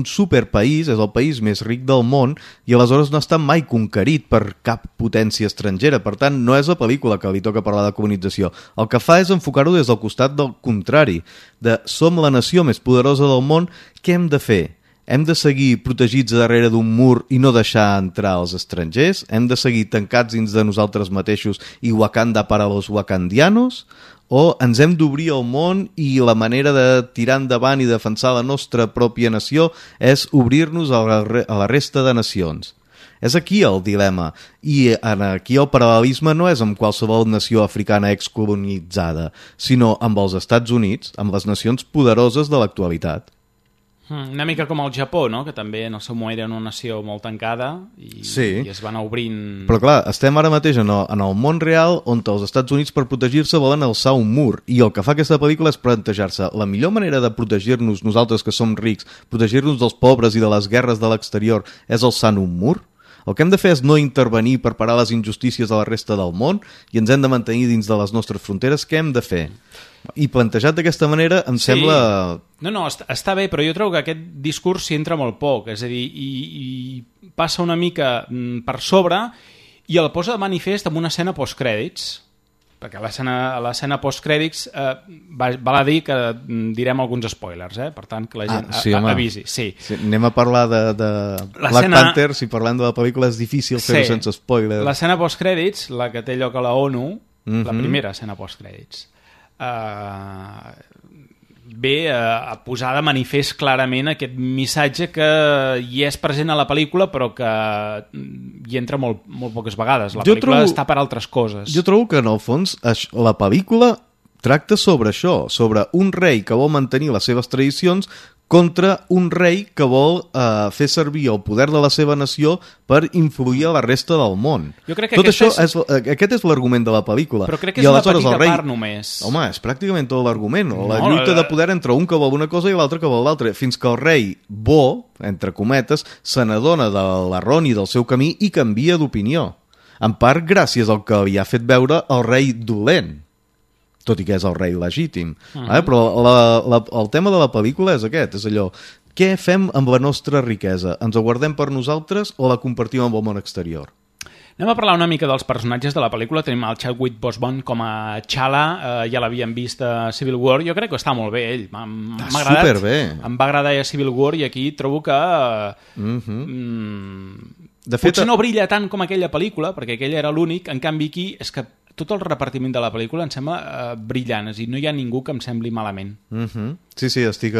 superpaís, és el país més ric del món, i aleshores no està mai conquerit per cap potència estrangera. Per tant, no és la pel·lícula que li toca parlar de colonització. El que fa és enfocar-ho des del costat del contrari, de som la nació més poderosa del món, què hem de fer? Hem de seguir protegits darrere d'un mur i no deixar entrar els estrangers? Hem de seguir tancats dins de nosaltres mateixos i Wakanda para los wakandianos? O ens hem d'obrir al món i la manera de tirar endavant i defensar la nostra pròpia nació és obrir-nos a la resta de nacions? És aquí el dilema, i aquí el paral·lelisme no és amb qualsevol nació africana excolonitzada, sinó amb els Estats Units, amb les nacions poderoses de l'actualitat. Una mica com el Japó, no? Que també en el seu moment era una nació molt tancada i es van obrint... Però clar, estem ara mateix en el món real on els Estats Units per protegir-se volen alçar un mur, i el que fa aquesta pel·lícula és plantejar-se la millor manera de protegir-nos nosaltres que som rics, protegir-nos dels pobres i de les guerres de l'exterior és alçant un mur? El que hem de fer és no intervenir per parar les injustícies de la resta del món i ens hem de mantenir dins de les nostres fronteres. Què hem de fer? I plantejat d'aquesta manera em sembla... No, està bé, però jo trobo que aquest discurs s'hi entra molt poc, és a dir, i passa una mica per sobre i el posa de manifest amb una escena postcrèdits, perquè a l'escena postcrèdits val a dir que direm alguns spoilers, per tant que la gent avisi. Sí. Anem a parlar de Black Panther, si parlem de la pel·lícula és difícil fer-ho sense spoilers. L'escena postcrèdits, la que té lloc a la ONU, la primera escena postcrèdits, ve a posar de manifest clarament aquest missatge que hi és present a la pel·lícula però que hi entra molt poques vegades. La pel·lícula està per altres coses. Jo trobo que en el fons la pel·lícula tracta sobre això, sobre un rei que vol mantenir les seves tradicions contra un rei que vol fer servir el poder de la seva nació per influir a la resta del món. Jo crec que tot això aquest és l'argument de la pel·lícula. Però crec que és una petita part només. Home, és pràcticament tot l'argument. La lluita de poder entre un que vol una cosa i l'altre que vol l'altra. Fins que el rei bo, entre cometes, se n'adona de l'erroni del seu camí i canvia d'opinió. En part gràcies al que li ha fet veure el rei dolent, tot i que és el rei legítim. Però el tema de la pel·lícula és aquest, és allò, què fem amb la nostra riquesa? Ens ho guardem per nosaltres o la compartim amb el món exterior? Anem a parlar una mica dels personatges de la pel·lícula. Tenim el Chadwick Boseman com a T'Challa, ja l'havíem vist a Civil War. Jo crec que està molt bé, ell. M'ha agradat. Superbé. Em va agradar a Civil War i aquí trobo que... De fet, potser no brilla tant com aquella pel·lícula, perquè aquella era l'únic, en canvi aquí és que tot el repartiment de la pel·lícula em sembla brillant, és a dir, no hi ha ningú que em sembli malament. Sí, estic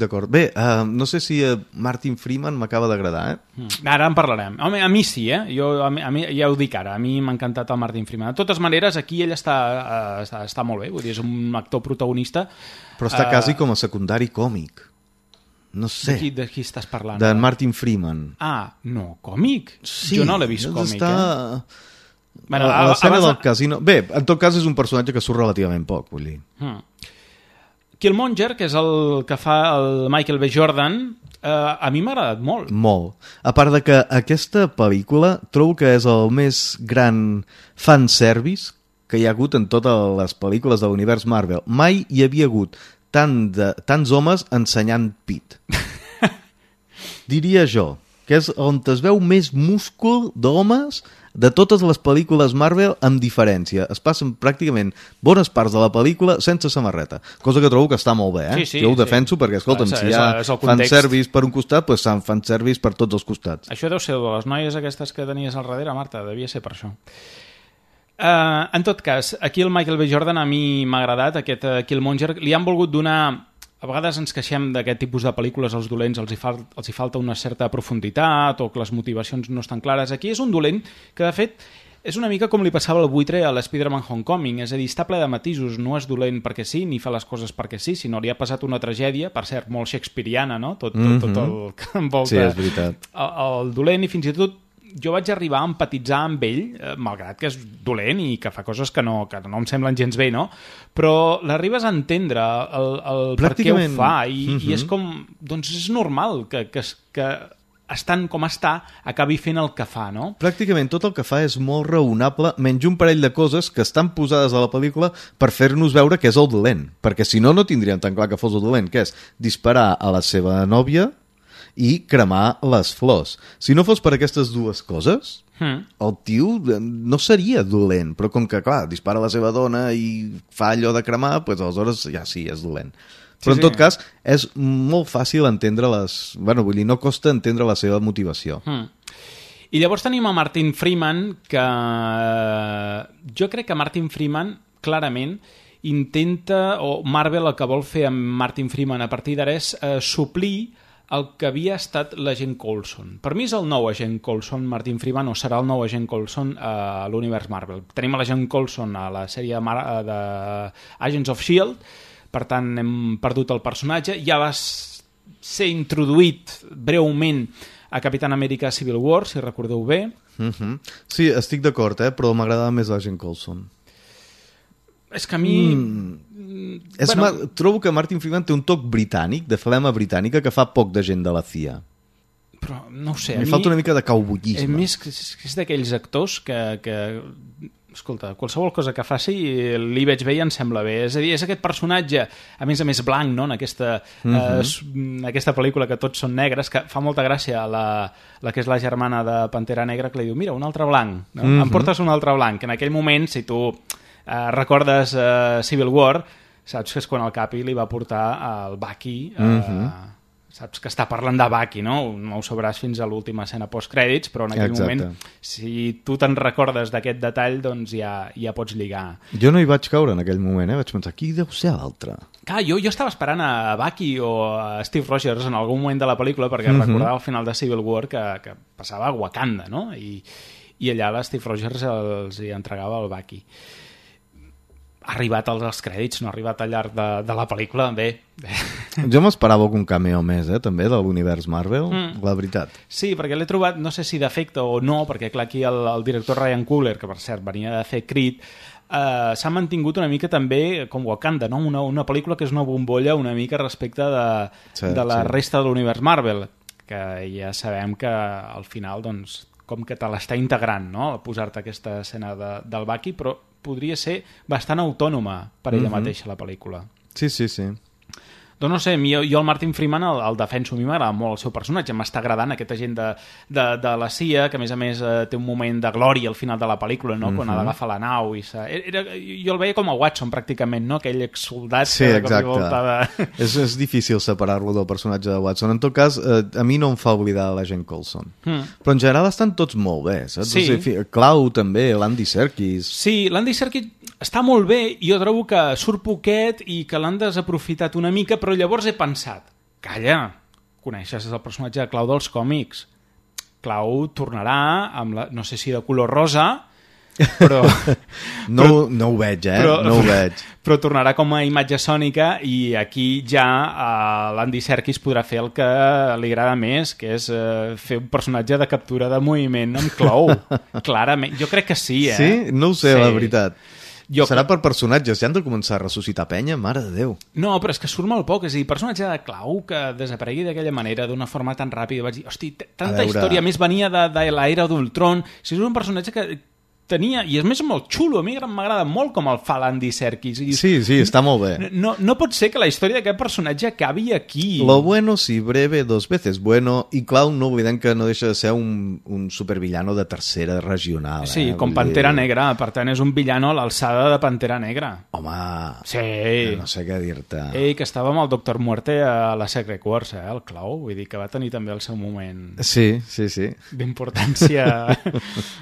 d'acord. Bé, no sé si Martin Freeman m'acaba d'agradar, Ara en parlarem. Home, a mi sí, a mi, ja ho dic ara, a mi m'ha encantat el Martin Freeman. De totes maneres, aquí ell està molt bé, vull dir, és un actor protagonista. Però està quasi com a secundari còmic. No sé. De qui estàs parlant? De Martin Freeman. No, còmic? Sí, jo no l'he vist còmic, Bueno, a l'escena del casino... Bé, en tot cas és un personatge que surt relativament poc, vull dir. Killmonger, que és el que fa el Michael B. Jordan, a mi m'ha agradat molt. Molt. A part de que aquesta pel·lícula trobo que és el més gran fanservice que hi ha hagut en totes les pel·lícules de l'univers Marvel. Mai hi havia hagut tants homes ensenyant pit. Diria jo, que és on es veu més múscul d'homes de totes les pel·lícules Marvel, amb diferència. Es passen pràcticament bones parts de la pel·lícula sense samarreta, cosa que trobo que està molt bé, Sí, jo ho defenso perquè, escolta'm, si hi ha fanservice per un costat, doncs fanservice per tots els costats. Això deu ser de les noies aquestes que tenies al darrere, Marta, devia ser per això. En tot cas, aquí el Michael B. Jordan a mi m'ha agradat, aquest Killmonger. Li han volgut donar... A vegades ens queixem d'aquest tipus de pel·lícules, als dolents els hi falta una certa profunditat o que les motivacions no estan clares. Aquí és un dolent que, de fet, és una mica com li passava al buitre a l'Spider-Man Homecoming, és a dir, està ple de matisos, no és dolent perquè sí, ni fa les coses perquè sí, sinó li ha passat una tragèdia, per cert, molt shakespeariana, no? Tot el que envolta sí, és veritat. El dolent, i fins i tot jo vaig arribar a empatitzar amb ell, malgrat que és dolent i que fa coses que no em semblen gens bé, no? Però l'arribes a entendre el per què ho fa i és com... Doncs és normal que estant com està acabi fent el que fa, no? Pràcticament tot el que fa és molt raonable, menys un parell de coses que estan posades a la pel·lícula per fer-nos veure que és el dolent, perquè si no, no tindríem tan clar que fos el dolent, que és disparar a la seva nòvia i cremar les flors. Si no fos per aquestes dues coses, el tio no seria dolent, però com que, clar, dispara a la seva dona i fa allò de cremar, doncs aleshores ja sí, és dolent. Però en tot cas, és molt fàcil entendre Bueno, vull dir, no costa entendre la seva motivació. I llavors tenim a Martin Freeman, que jo crec que Martin Freeman, clarament, intenta, o Marvel el que vol fer amb Martin Freeman a partir d'ara és suplir el que havia estat l'agent Coulson. Per mi és el nou agent Coulson, Martin Freeman, o serà el nou agent Coulson a l'univers Marvel. Tenim l'agent Coulson a la sèrie de Agents of S.H.I.E.L.D., per tant hem perdut el personatge. Ja va ser introduït breument a Capitán Amèrica Civil War, si recordeu bé. Sí, estic d'acord, però m'agrada més l'agent Coulson. És que a mi... Trobo que Martin Freeman té un toc britànic, de flema britànica, que fa poc de gent de la CIA. Però no ho sé. Li falta una mica de cowboyisme. Més és d'aquells actors que escolta, qualsevol cosa que faci li veig bé i em sembla bé. És a dir, és aquest personatge, a més blanc, no? En aquesta pel·lícula que tots són negres, que fa molta gràcia la que és la germana de Pantera Negra, que li diu, mira, un altre blanc, no? Em portes un altre blanc. En aquell moment, si tu recordes Civil War, saps que és quan el Capi li va portar el Bucky, saps que està parlant de Bucky, no? No ho sabràs fins a l'última escena postcrèdits, però en aquell moment, si tu te'n recordes d'aquest detall, doncs ja pots lligar. Jo no hi vaig caure en aquell moment, vaig pensar, qui deu ser l'altre? Clar, jo estava esperant a Bucky o a Steve Rogers en algun moment de la pel·lícula, perquè recordava al final de Civil War que passava a Wakanda, no? I allà la Steve Rogers els hi entregava el Bucky. Ha arribat als crèdits, no ha arribat al llarg de la pel·lícula, bé. Jo m'esperava algun cameo més, també, de l'univers Marvel, la veritat. Sí, perquè l'he trobat, no sé si d'efecte o no, perquè clar, aquí el director Ryan Coogler, que per cert venia de fer Creed, s'ha mantingut una mica també com Wakanda, no? Una pel·lícula que és una bombolla una mica respecte de la resta de l'univers Marvel, que ja sabem que al final, doncs, com que te l'està integrant, no? Posar-te aquesta escena del Bucky, però podria ser bastant autònoma per ella mateixa la pel·lícula. Sí, sí, sí. Doncs no sé, jo el Martin Freeman el defenso, a mi m'agrada molt el seu personatge, m'està agradant aquest agent de la CIA, que a més té un moment de glòria al final de la pel·lícula, no? Quan ha d'agafar la nau jo el veia com a Watson pràcticament, no? Aquell exsoldat sí, que de cop i volta és difícil separar-lo del personatge de Watson. En tot cas, a mi no em fa oblidar l'agent Coulson, però en general estan tots molt bé, saps? Sí. O sigui, Clau també, l'Andy Serkis. Sí, l'Andy Serkis està molt bé, i jo trobo que surt poquet i que l'han desaprofitat una mica, però llavors he pensat, calla, coneixes el personatge de Clau dels còmics. Clau tornarà amb no sé si de color rosa, però no ho veig, no ho veig. Però tornarà com a imatge sònica, i aquí ja l'Andy Serkis podrà fer el que li agrada més, que és fer un personatge de captura de moviment amb Clau. Clarament, jo crec que sí, Sí? No ho sé, sí. La veritat. Serà per personatges, ja han de començar a ressuscitar penya, mare de Déu. No, però és que surt molt poc, és a dir, personatge de Clau que desaparegui d'aquella manera, d'una forma tan ràpida, vaig dir, hosti, tanta història, més venia de l'era d'Ultron, si és un personatge que tenia, i és més molt xulo, a mi m'agrada molt com el fa l'Andy Serkis. Sí, està molt bé. No pot ser que la història d'aquest personatge acabi aquí. Lo bueno si breve, dos veces bueno, i Clau no oblidem que no deixa de ser un supervillano de tercera regional. Sí, com Pantera Negra, per tant és un villano a l'alçada de Pantera Negra. Home, sí. No sé què dir-te. Que estava amb el Dr. Muerte a la Secret Wars, el Clau, vull dir que va tenir també el seu moment sí. d'importància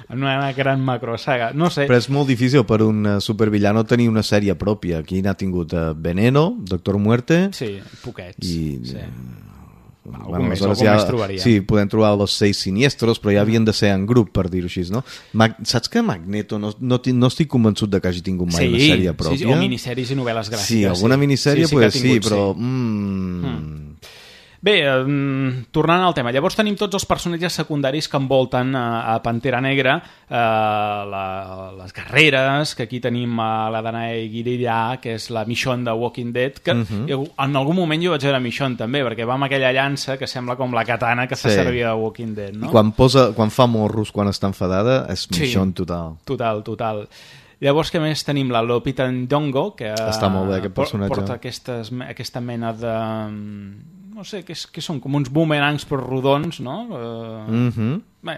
en una gran macrosaga, no sé. Però és molt difícil per un supervillano tenir una sèrie pròpia. Aquí n'ha tingut Veneno, Dr. Muerte... Sí, poquets. Sí. Algun més trobaria. Sí, podem trobar los 6 siniestros, però ja havien de ser en grup, per dir-ho així, no? Saps que Magneto no estic convençut de que hagi tingut mai una sèrie pròpia? Sí, o minissèries i novel·les gràfiques. Sí, alguna minissèrie sí, però... Bé, tornant al tema, llavors tenim tots els personatges secundaris que envolten a Pantera Negra, les guerreres, que aquí tenim la Danae Guirillà, que és la Michonne de Walking Dead, que en algun moment jo vaig veure Michonne també, perquè va amb aquella llança que sembla com la katana que fa servir a Walking Dead, no? I quan fa morros, quan està enfadada, és Michonne total. Total. Llavors, què més tenim? La Lupita Nyong'o, que està molt bé, aquest personatge. Porta aquesta mena de... no sé, que són com uns boomerangs però rodons, no? Bé,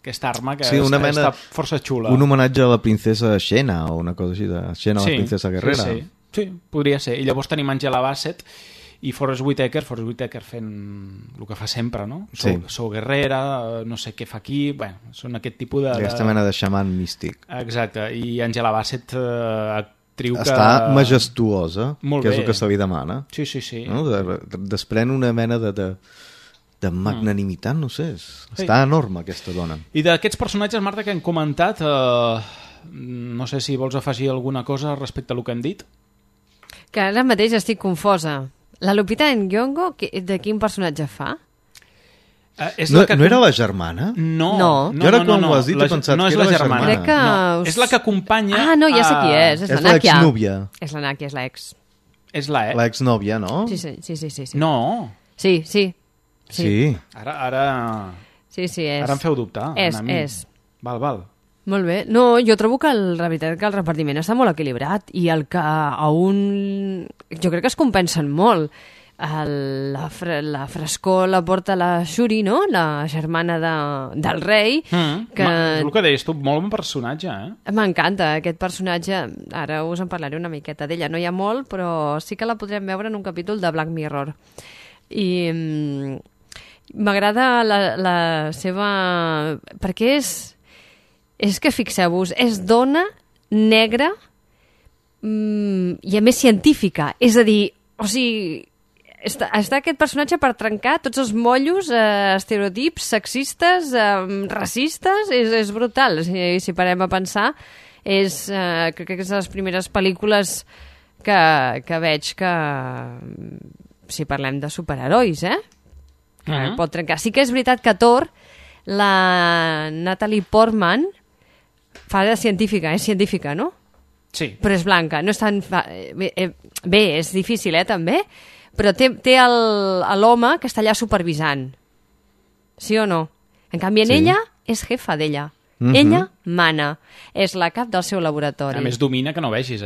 aquesta arma que està força xula. Un homenatge a la princesa Xena, o una cosa així, de Xena, la princesa guerrera. Sí, podria ser. I llavors tenim Angela Bassett i Forest Whitaker fent el que fa sempre, no? Sou guerrera, no sé què fa aquí... Bueno, són aquest tipus de... Aquesta mena de xaman místic. Exacte, i Angela Bassett... està majestuosa, que és el que se li demana. Sí. No? Desprèn una mena de magnanimitat, no sé. Està enorme, aquesta dona. I d'aquests personatges, Marta, que hem comentat, no sé si vols afegir alguna cosa respecte a el que hem dit. Que ara mateix estic confosa. La Lupita Nyong'o, de quin personatge fa? No era la germana? No. Jo ara quan ho has dit he pensat que era la germana. No, és la que acompanya... Ah, no, ja sé qui és. És l'exnúvia. És la Nàquia, és l'ex. És la l'exnòvia, no? Sí. No. Sí. Ara... Sí, és. Ara em feu dubtar. És. Val. Molt bé. No, jo trobo que la veritat que el repartiment està molt equilibrat i el que a un... Jo crec que es compensen molt. la frescor la porta la Shuri, no? La germana del rei. El que deies tu, molt bon personatge, M'encanta aquest personatge. Ara us en parlaré una miqueta d'ella. No hi ha molt, però sí que la podrem veure en un capítol de Black Mirror. I m'agrada la seva... Perquè és que fixeu-vos, és dona negra i a més científica. És a dir, o sigui... Està aquest personatge per trencar tots els mollos, estereotips sexistes, racistes, és brutal. Si parem a pensar, crec que és de les primeres pel·lícules que veig que, si parlem de superherois, pot trencar. Sí que és veritat que Thor, la Natalie Portman, fa de científica, és científica, no? Sí. Però és blanca, no és tan... Bé, és difícil, també? Però té l'home que està allà supervisant. Sí o no? En canvi, ella és jefa d'ella. Ella mana. És la cap del seu laboratori. A més, domina que no vegis,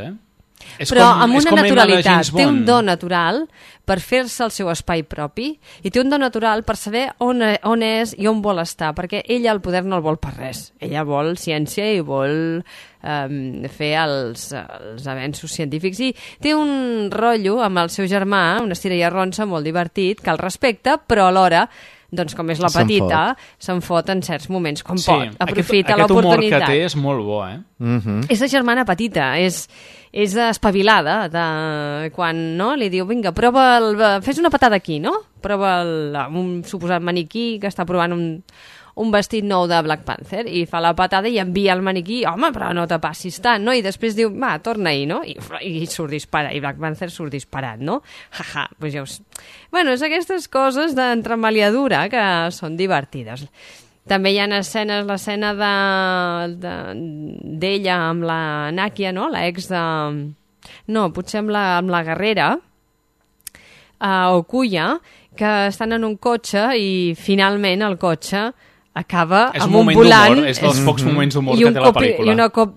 Però amb una naturalitat. Té un do natural per fer-se el seu espai propi i té un do natural per saber on és i on vol estar, perquè ella el poder no el vol per res. Ella vol ciència i vol fer els avenços científics. I té un rotllo amb el seu germà, una estira i arronsa molt divertit, que el respecta, però alhora, doncs com és la petita, se'n fot en certs moments, com pot. Aprofita l'oportunitat. Aquest humor que té és molt bo, És la germana petita, és espavilada, quan li diu, vinga, fes una patada aquí, no? Prova un suposat maniquí que està provant un vestit nou de Black Panther, i fa la patada i envia el maniquí, home, però no te passis tant, no? I després diu, va, torna-hi, no? I surt disparat, i Black Panther surt disparat, no? Doncs ja us... Bueno, és aquestes coses d'entremaliadura que són divertides. També hi ha escenes, l'escena d'ella amb la Nakia, no? La ex de... No, potser amb la guerrera, Okuya, que estan en un cotxe i finalment el cotxe acaba amb un volant... És dels pocs moments d'humor que té la pel·lícula. I una cop...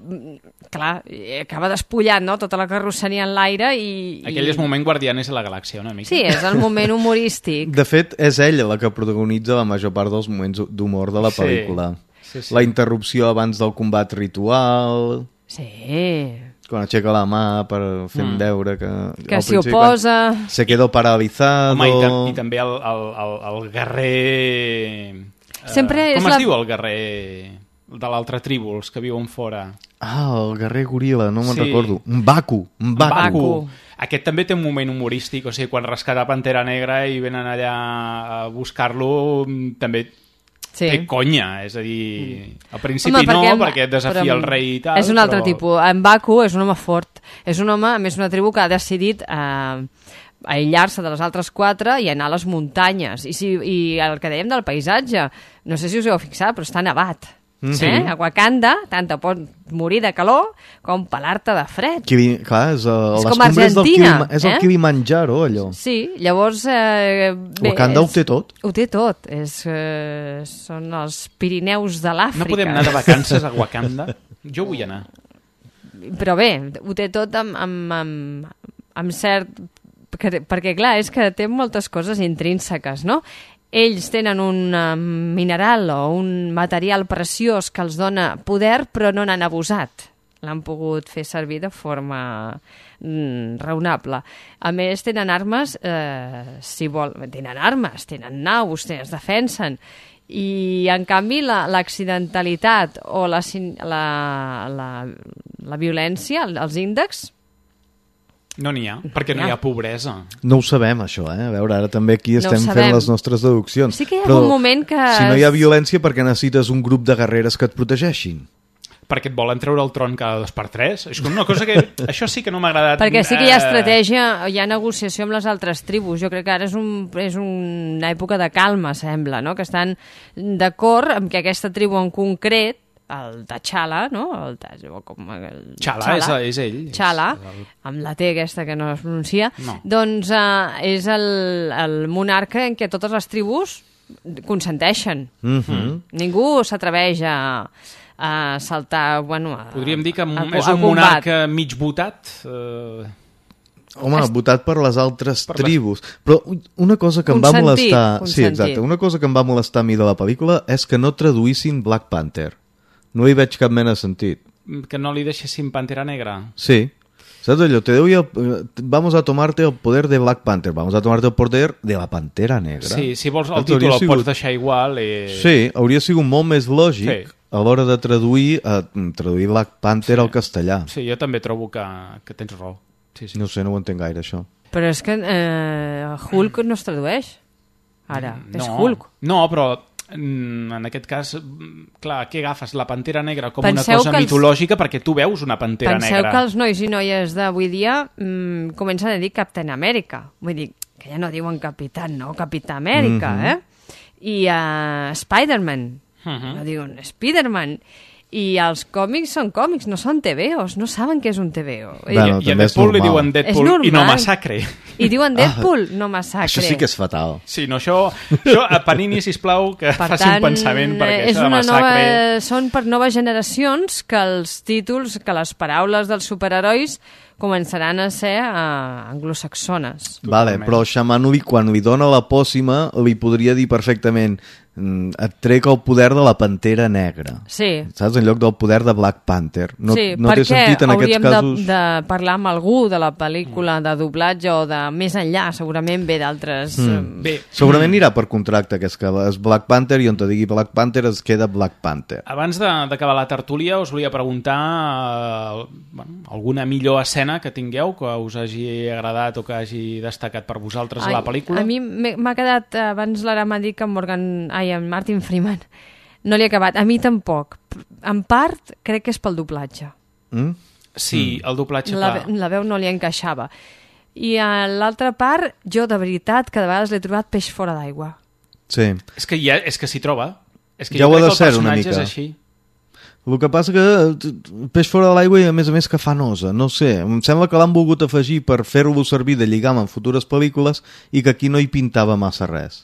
Clar, acaba despullant, no?, tota la carrosseria en l'aire i... Aquell és moment Guardianes de la Galàxia, una mica. Sí, és el moment humorístic. De fet, és ella la que protagonitza la major part dels moments d'humor de la pel·lícula. Sí. La interrupció abans del combat ritual... Sí. Quan aixeca la mà per fer veure que s'hi oposa... Se quedó paralizado... Home, i també el guerrer... Com es diu el guerrer de l'altra tribu, els que viuen fora? El guerrer goril·la, no me'n recordo. Mbaku. Aquest també té un moment humorístic, o sigui, quan rescata Pantera Negra i venen allà a buscar-lo, també té conya, és a dir, al principi perquè desafia el rei i tal. És un altre tipus. Mbaku és un home fort, és un home, a més, una tribu que ha decidit aïllar-se de les altres 4 i anar a les muntanyes. I el que dèiem del paisatge, no sé si us heu fixat, però està nevat. A Wakanda, tant te pot morir de calor com pelar-te de fred. Clar, és com Argentina. És el Kilimanjaro, allò. Sí, llavors... Wakanda ho té tot. Ho té tot. Són els Pirineus de l'Àfrica. No podem anar de vacances a Wakanda? Jo vull anar. Però bé, ho té tot amb cert... Perquè, clar, és que té moltes coses intrínseques, no? Ells tenen un mineral o un material preciós que els dona poder, però no n'han abusat. L'han pogut fer servir de forma raonable. A més, tenen armes, tenen armes, tenen naus, es defensen. I, en canvi, l'accidentalitat o la violència, els índexs, no n'hi ha, perquè no hi ha pobresa. No ho sabem, això, A veure, ara també aquí estem fent les nostres deduccions. Sí que hi ha algun moment que... Si no hi ha violència, per què necessites un grup de guerreres que et protegeixin? Perquè et volen treure el tron cada 2x3. És una cosa que... Això sí que no m'ha agradat. Perquè sí que hi ha estratègia, hi ha negociació amb les altres tribus. Jo crec que ara és una època de calma, sembla, no? Que estan d'acord amb que aquesta tribu en concret, el T'Challa, no? T'Challa és ell. T'Challa, amb la T aquesta que no es pronuncia, doncs és el monarca en què totes les tribus consenteixen. Ningú s'atreveix a saltar... Podríem dir que és un monarca mig votat... Home, votat per les altres tribus. Però una cosa que em va molestar... Sí, exacte. Una cosa que em va molestar a mi de la pel·lícula és que no traduïssin Black Panther. No hi veig cap mena de sentit. Que no li deixessin Pantera Negra? Sí. ¿Sabes allò? Vamos a tomarte el poder de Black Panther. Vamos a tomarte el poder de la Pantera Negra. Sí, si vols el títol el pots deixar igual. Sí, hauria sigut molt més lògic a l'hora de traduir Black Panther al castellà. Sí, jo també trobo que tens raó. Sí. No sé, no ho entenc gaire, això. Però és que Hulk no es tradueix. Ara, és Hulk. No, però en aquest cas, clar, què agafes? La Pantera Negra com una cosa mitològica perquè tu veus una Pantera Negra. Penseu que els nois i noies d'avui dia comencen a dir Captain America. Vull dir, que ja no diuen Capitán, no? Capità Amèrica, I Spider-Man. No diuen Spider-Man. I els còmics són còmics, no són TVOs, no saben què és un TVO. Bueno, I a Deadpool li diuen Deadpool i no massacre. I diuen Deadpool, no massacre. Això sí que és fatal. Sí, no, això a Panini, sisplau, que faci un pensament, perquè això de massacre... Són per noves generacions que els títols, que les paraules dels superherois començaran a ser anglosaxones. Vale, però Xamanui, quan li dona la pòssima, li podria dir perfectament et trec el poder de la Pantera Negra. Sí. Saps? En lloc del poder de Black Panther. No, sí, no té sentit en aquests casos... hauríem de parlar amb algú de la pel·lícula de doblatge o de més enllà, segurament ve d'altres... Segurament anirà per contracte, que és que és Black Panther i on te digui Black Panther es queda Black Panther. Abans d'acabar la tertúlia us volia preguntar alguna millor escena que tingueu, que us hagi agradat o que hagi destacat per vosaltres a la pel·lícula. A mi m'ha quedat, abans l'Ara m'ha dit que en Martin Freeman no l'he acabat, a mi tampoc. En part crec que és pel doblatge. Sí, el doblatge, clar. La veu no li encaixava. I a l'altra part, jo de veritat que de vegades l'he trobat peix fora d'aigua. Sí. És que s'hi troba. És que ja jo crec ho ha de que el ser una personatge mica. És així. El que passa que peix fora de l'aigua i a més que fa nosa, no sé, em sembla que l'han volgut afegir per fer-lo servir de lligam en futures pel·lícules i que aquí no hi pintava massa res.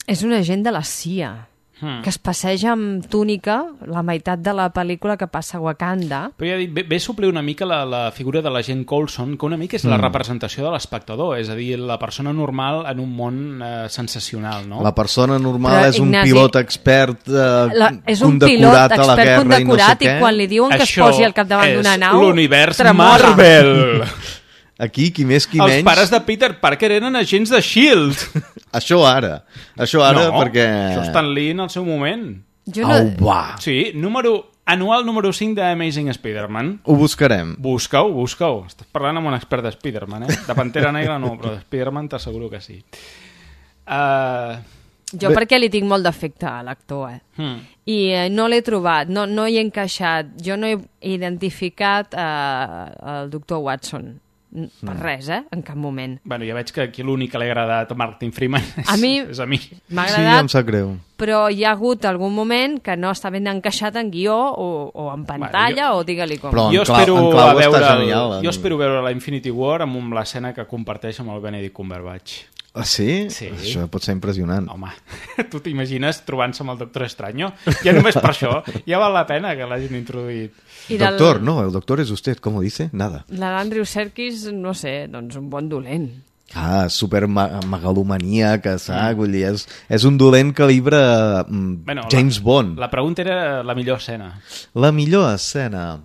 És un agent de la CIA que es passeja amb túnica la meitat de la pel·lícula que passa a Wakanda. Però ja dic, ve suplir una mica la figura de l'agent Coulson, que una mica és la representació de l'espectador, és a dir, la persona normal en un món sensacional, no? La persona normal és un pilot expert és un pilot expert condecorat i quan li diuen que es posi al capdavant d'una nau... Això és l'univers Marvel! Aquí, qui més, qui menys... Els pares de Peter Parker eren agents de S.H.I.E.L.D. Això ara, perquè... Això Stan Lee en el seu moment. Va. Sí, anual número 5 d'Amazing Spider-Man. Ho buscarem. Busca-ho. Estàs parlant amb un expert de Spider-Man, De Pantera Negra no, però de Spider-Man t'asseguro que sí. Jo perquè li tinc molt d'afecte a l'actor, I no l'he trobat, no hi he encaixat. Jo no he identificat el doctor Watson. Per res, en cap moment. Bueno, ja veig que aquí l'únic que l'ha agradat a Martin Freeman és a mi. M'ha agradat, sí, em sap greu. Però hi ha hagut algun moment que no està ben encaixat en guió o en pantalla o digue-li com. Però jo espero veure la Infinity War amb l'escena que comparteix amb el Benedict Cumberbatch. Ah, sí? Sí. Això pot ser impressionant. Home, tu t'imagines trobant-se amb el Doctor Extraño? Ja només per això, ja val la pena que l'hagin introduït. Doctor, no, el doctor és usted, com ho dice? Nada. L'Andrew Serkis, no sé, doncs un bon dolent. Super megalomania, que vull dir, és un dolent calibre James Bond. La pregunta era la millor escena. La millor escena?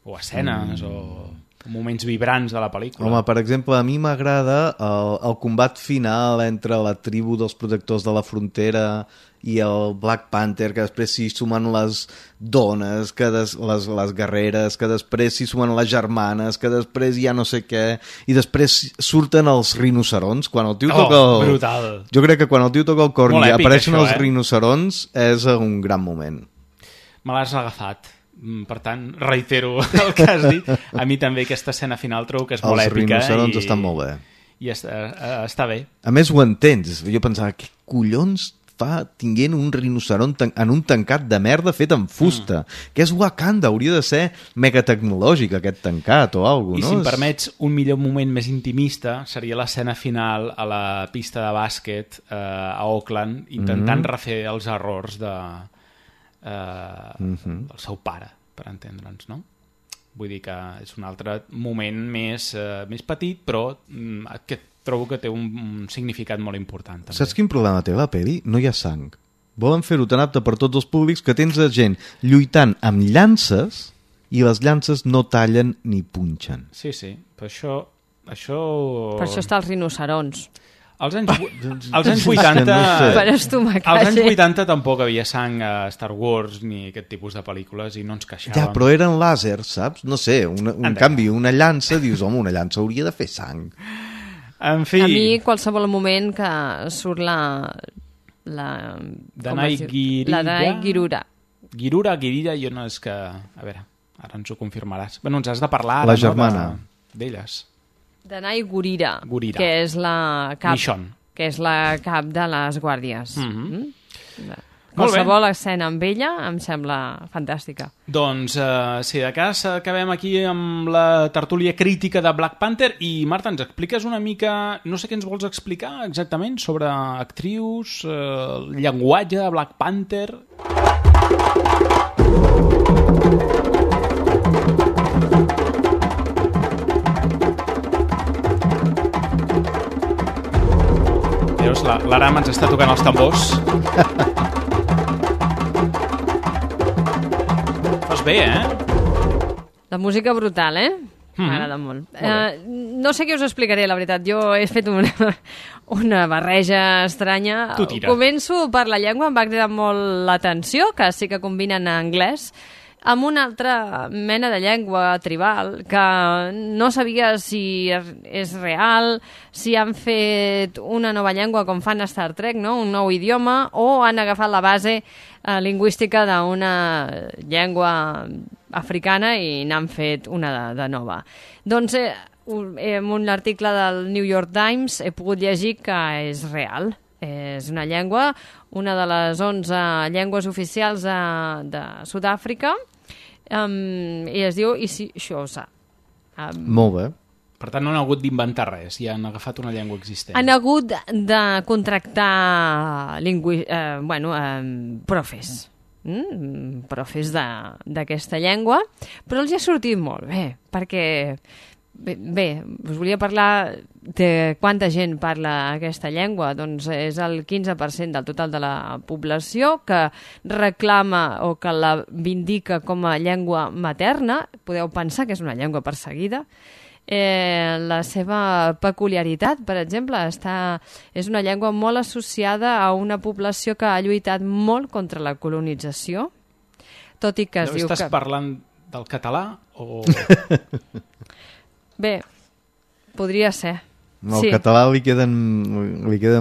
O escenes, o moments vibrants de la pel·lícula. Home, per exemple, a mi m'agrada el combat final entre la tribu dels protectors de la frontera i el Black Panther, que després s'hi sumen les dones, les guerreres, que després s'hi sumen les germanes, que després ja no sé què, i després surten els rinocerons. Quan el tio toca brutal. Jo crec que quan el tio toca el corn i apareixen els rinocerons és un gran moment. Me l'has agafat. Per tant, reitero el que has dit. A mi també aquesta escena final trobo que és molt èpica. Els rinocerons estan molt bé. I està bé. A més ho entens. Jo pensava, què collons fa tinguent un rinoceron en un tancat de merda fet amb fusta? Que és Wakanda, hauria de ser megatecnològic aquest tancat o alguna cosa, no? I si em permets, un millor moment més intimista seria l'escena final a la pista de bàsquet a Oakland, intentant refer els errors del seu pare, per entendre'ns, no? Vull dir que és un altre moment més petit, però que trobo que té un significat molt important. També. Saps quin problema té la peli? No hi ha sang. Volen fer-ho tan apte per tots els públics que tens gent lluitant amb llances i les llances no tallen ni punxen. Sí, però això... Per això està els rinocerons. Als anys 80... Per estomacar als anys 80 tampoc havia sang a Star Wars ni aquest tipus de pel·lícules i no ens queixàvem. Ja, però eren làsers, saps? No sé, en canvi, una llança, dius, home, una llança hauria de fer sang. En fi... A mi, qualsevol moment que surt la Danai Gurira. La Danai Gurira. Gurira, jo no és que... A veure, ara ens ho confirmaràs. Bueno, ens has de parlar ara, la germana. D'elles. Danai Gurira, que és la cap, Michonne. Que és la cap de les guàrdies. Molt Qualsevol bé. escena amb ella em sembla fantàstica. Doncs, si de cas acabem aquí amb la tertúlia crítica de Black Panther i, Marta, ens expliques una mica, no sé què ens vols explicar exactament sobre actrius, llenguatge de Black Panther... Veus, l'Aram ens està tocant els tambors. Fas bé, La música brutal, M'agrada molt. No sé què us explicaré, la veritat. Jo he fet una barreja estranya. Tu tira. Començo per la llengua, em va cridar molt l'atenció, que sí que combinen anglès amb una altra mena de llengua tribal que no sabia si és real, si han fet una nova llengua com fan a Star Trek, no? Un nou idioma, o han agafat la base lingüística d'una llengua africana i n'han fet una de nova. Doncs en un article del New York Times he pogut llegir que és real. És una llengua, una de les 11 llengües oficials de Sud-àfrica, i es diu Xhosa. Molt bé. Per tant, no han hagut d'inventar res, ja han agafat una llengua existent. Han hagut de contractar profes. Profes d'aquesta llengua, però els ha sortit molt bé, perquè bé, us volia parlar de quanta gent parla aquesta llengua. Doncs és el 15% del total de la població que reclama o que la vindica com a llengua materna. Podeu pensar que és una llengua perseguida. La seva peculiaritat, per exemple, és una llengua molt associada a una població que ha lluitat molt contra la colonització, tot i que es diu que... Estàs parlant del català o... Bé, podria ser. Al català li queda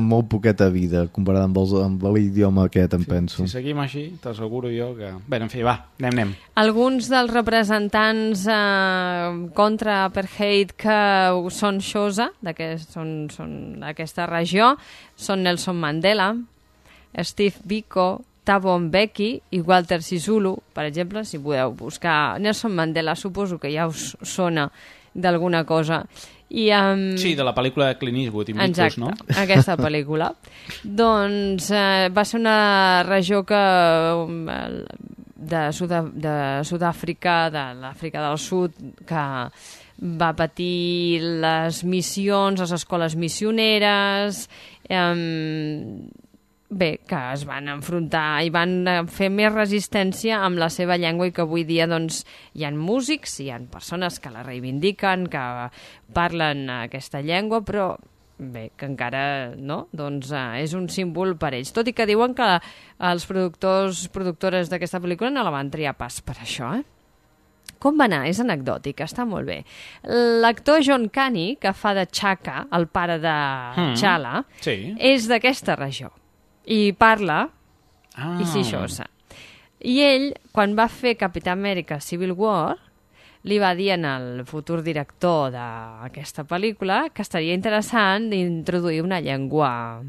molt poqueta vida comparat amb l'idioma aquest, penso. Si seguim així, t'asseguro jo que... Bé, en fi, va, anem. Alguns dels representants contra Apartheid que són Xhosa, són d'aquesta regió, són Nelson Mandela, Steve Biko, Thabo Mbeki i Walter Sisulu, per exemple, si podeu buscar Nelson Mandela, suposo que ja us sona d'alguna cosa. Sí, de la pel·lícula de Clint Eastwood, exacte, no? Aquesta pel·lícula. Doncs va ser una regió que de Sud-àfrica, de l'Àfrica del Sud, que va patir les missions, les escoles missioneres, que es van enfrontar i van fer més resistència amb la seva llengua, i que avui dia doncs, hi ha músics, hi ha persones que la reivindiquen, que parlen aquesta llengua, però bé, que encara no, doncs és un símbol per ells. Tot i que diuen que els productores d'aquesta pel·lícula no la van triar pas per això, Com va anar? És anecdòtic, està molt bé. L'actor John Kani, que fa de Chaka, el pare de T'Challa, és d'aquesta regió. I parla Xhosa. I ell, quan va fer Capità Amèrica Civil War, li va dir al futur director d'aquesta pel·lícula que estaria interessant d'introduir una llengua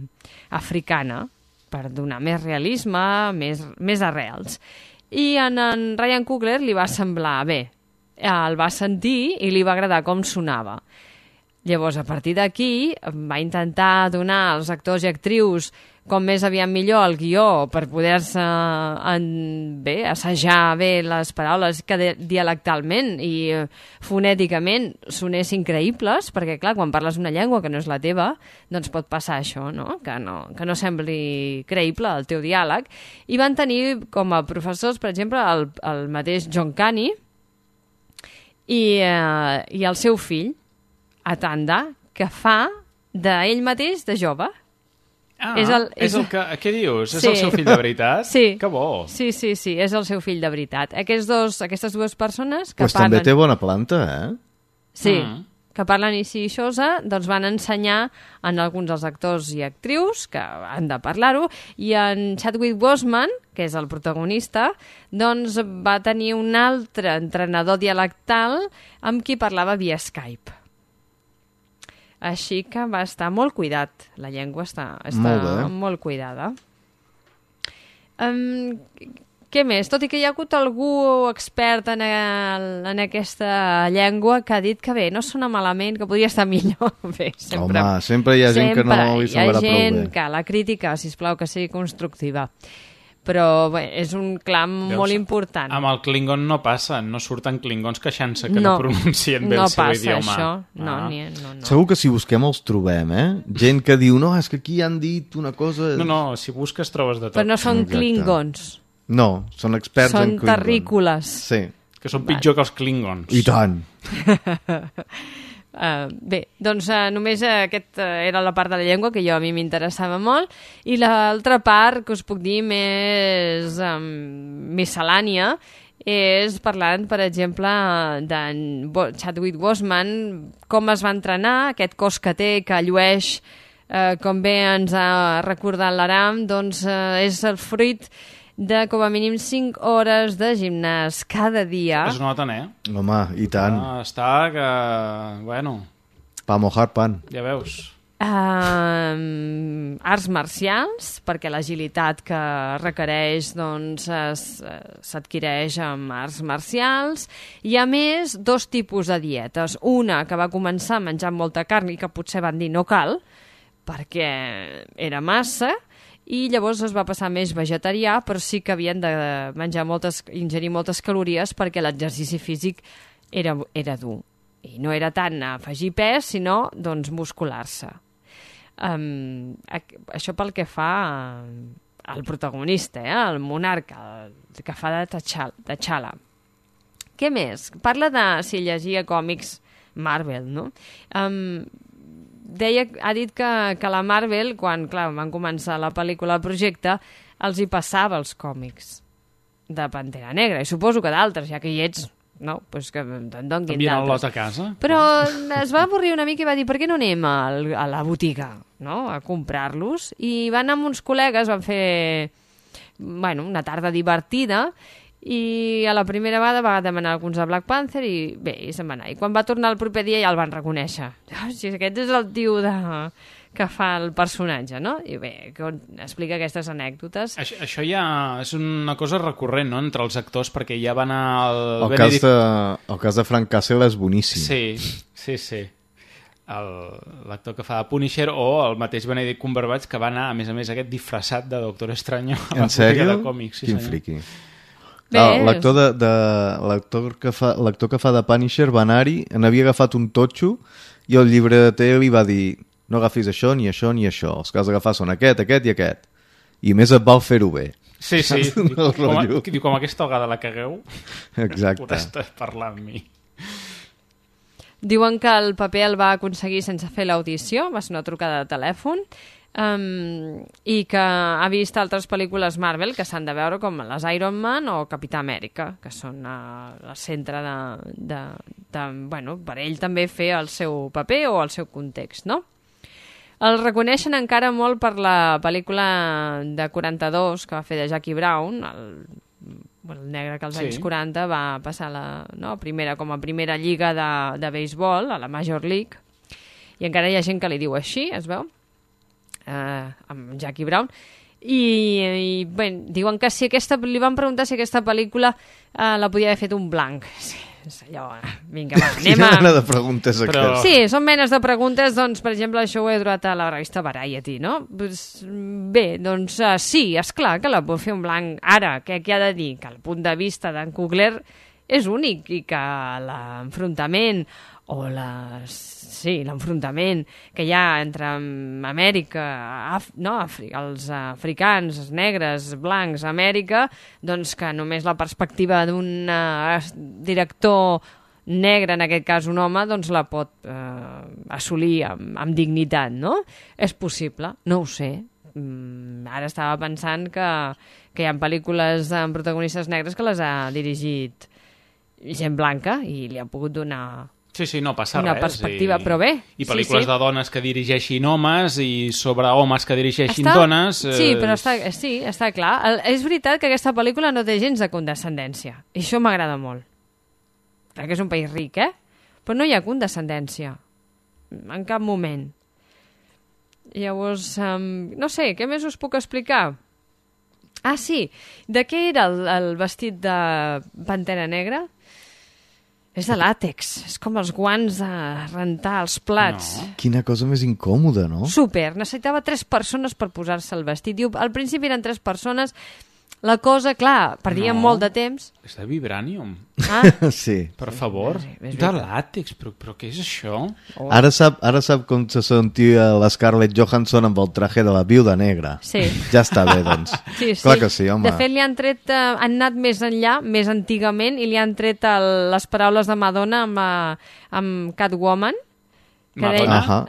africana per donar més realisme, més arrels. I en Ryan Coogler li va semblar bé. El va sentir i li va agradar com sonava. Llavors, a partir d'aquí, va intentar donar als actors i actrius com més aviat millor el guió per poder-se assajar bé les paraules que dialectalment i fonèticament sonessin creïbles, perquè clar, quan parles una llengua que no és la teva, doncs pot passar això, no? Que no sembli creïble el teu diàleg. I van tenir com a professors, per exemple, el mateix John Caney i el seu fill, Atanda, que fa d'ell mateix de jove. Què dius? Sí. És el seu fill de veritat? Sí. Que bo. Sí, és el seu fill de veritat. Aquestes dues persones que pues parlen... també té bona planta, eh? Sí, que parlen així xosa, doncs van ensenyar en alguns dels actors i actrius que han de parlar-ho, i en Chadwick Boseman, que és el protagonista, doncs va tenir un altre entrenador dialectal amb qui parlava via Skype. Així que va estar molt cuidat. La llengua està molt cuidada. Què més? Tot i que hi ha hagut algú expert en aquesta llengua que ha dit que bé, no sona malament, que podria estar millor. Bé, sempre hi ha gent que no li semblarà prou bé. Hi ha gent que la crítica, sisplau, que sigui constructiva. Però bé, és un clam molt important. Amb el Klingon no passa, no surten klingons queixant-se que no pronuncien bé el seu idioma. No passa això, no. Segur que si busquem els trobem, Gent que diu, no, és que aquí han dit una cosa... No, si busques trobes de tot. Però no són klingons. No, són experts en klingons. Són terrícoles. Sí. Que són pitjor que els klingons. I tant. Bé, doncs només aquesta era la part de la llengua que a mi m'interessava molt, i l'altra part que us puc dir més miscel·lània és parlant, per exemple, d'en Chadwick Boseman, com es va entrenar, aquest cos que té, que llueix, com bé ens ha recordat l'Aram, doncs és el fruit de com a mínim 5 hores de gimnàs cada dia. Es noten, Home, i tant. Està que... Bueno... Pa mojar pan. Ja veus. Arts marcials, perquè l'agilitat que requereix doncs, s'adquireix amb arts marcials. I a més, 2 tipus de dietes. Una que va començar menjant molta carn i que potser van dir no cal, perquè era massa, i llavors es va passar més vegetarià, però sí que havien de ingerir moltes calories perquè l'exercici físic era dur. I no era tant afegir pes, sinó doncs, muscular-se. Això pel que fa al protagonista, el monarca, el que fa de T'Challa. Què més? Parla de si llegia còmics Marvel, no? Ha dit que la Marvel, quan van començar la pel·lícula, el projecte, els hi passava els còmics de Pantera Negra, i suposo que d'altres, ja que hi ets, no? Pues que te'n donguin d'altres. El lot a casa. Però es va avorrir una mica i va dir, per què no anem a la botiga, no? A comprar-los? I van amb uns col·legues, van fer una tarda divertida, i a la primera vegada va demanar alguns de Black Panther i bé, i se'n va anar. I quan va tornar el proper dia ja el van reconèixer. Si aquest és el tio que fa el personatge, no? I bé, explica aquestes anècdotes. Això ja és una cosa recurrent, no?, entre els actors, perquè ja van al... El cas de Frank Castle és boníssim. Sí. L'actor que fa de Punisher, o el mateix Benedict Cumberbatch, que va anar, a més, aquest disfressat de Doctor Estranyo a la botiga de còmics. Quin friqui. L'actor que fa de Punisher va anar-hi, n'havia agafat un totxo i el llibreter li va dir, no agafis això, ni això, ni això, els que has d'agafar són aquest i aquest, i més et val fer-ho bé. Sí, com aquesta vegada la cagueu, podràs parlar amb mi. Diuen que el paper el va aconseguir sense fer l'audició, va ser una trucada de telèfon, i que ha vist altres pel·lícules Marvel que s'han de veure, com les Iron Man o Capità Amèrica, que són el centre per ell també fer el seu paper o el seu context, no? El reconeixen encara molt per la pel·lícula de 42 que va fer de Jackie Brown, el negre que als anys 40 va passar com a primera lliga de béisbol, a la Major League, i encara hi ha gent que li diu així, es veu? Amb Jackie Brown, i bé, diuen que li van preguntar si aquesta pel·lícula la podia haver fet un blanc. és allò, vinga, va, anem Quina a... mena de preguntes aquestes? Sí, són menes de preguntes, doncs, per exemple, això ho he trobat a la revista Variety, no? Pues, bé, doncs sí, esclar que la puc fer en blanc. Ara, què ha de dir? Que el punt de vista d'en Coogler és únic i que l'enfrontament o l'enfrontament que hi ha entre Amèrica, els africans, els negres, blancs, Amèrica, doncs que només la perspectiva d'un director negre, en aquest cas un home, doncs la pot assolir amb dignitat, no? És possible, no ho sé. Ara estava pensant que hi ha pel·lícules amb protagonistes negres que les ha dirigit gent blanca i li ha pogut donar... Sí, no passa una res. perspectiva, però bé. I pel·lícules de dones que dirigeixin homes i sobre homes que dirigeixin dones... Sí, però està clar. És veritat que aquesta pel·lícula no té gens de condescendència. I això m'agrada molt. Crec que és un país ric, però no hi ha condescendència. En cap moment. Llavors, no sé, què més us puc explicar? Ah, sí. De què era el vestit de Pantera Negra? És de làtex, és com els guants de rentar els plats. No. Quina cosa més incòmoda, no? Super, necessitava 3 persones per posar-se el vestit. Diu, al principi eren 3 persones, la cosa, clar, perdien molt de temps. És de vibranium. Ah? Sí. Per favor. De làtex, però què és això? Oh. Ara sap com se sentia la Scarlett Johansson amb el traje de la viuda negra. Sí. Ja està bé, doncs. Sí. Clar que sí, home. De fet, li han tret, han anat més enllà, més antigament, i li han tret les paraules de Madonna amb Catwoman. Madonna?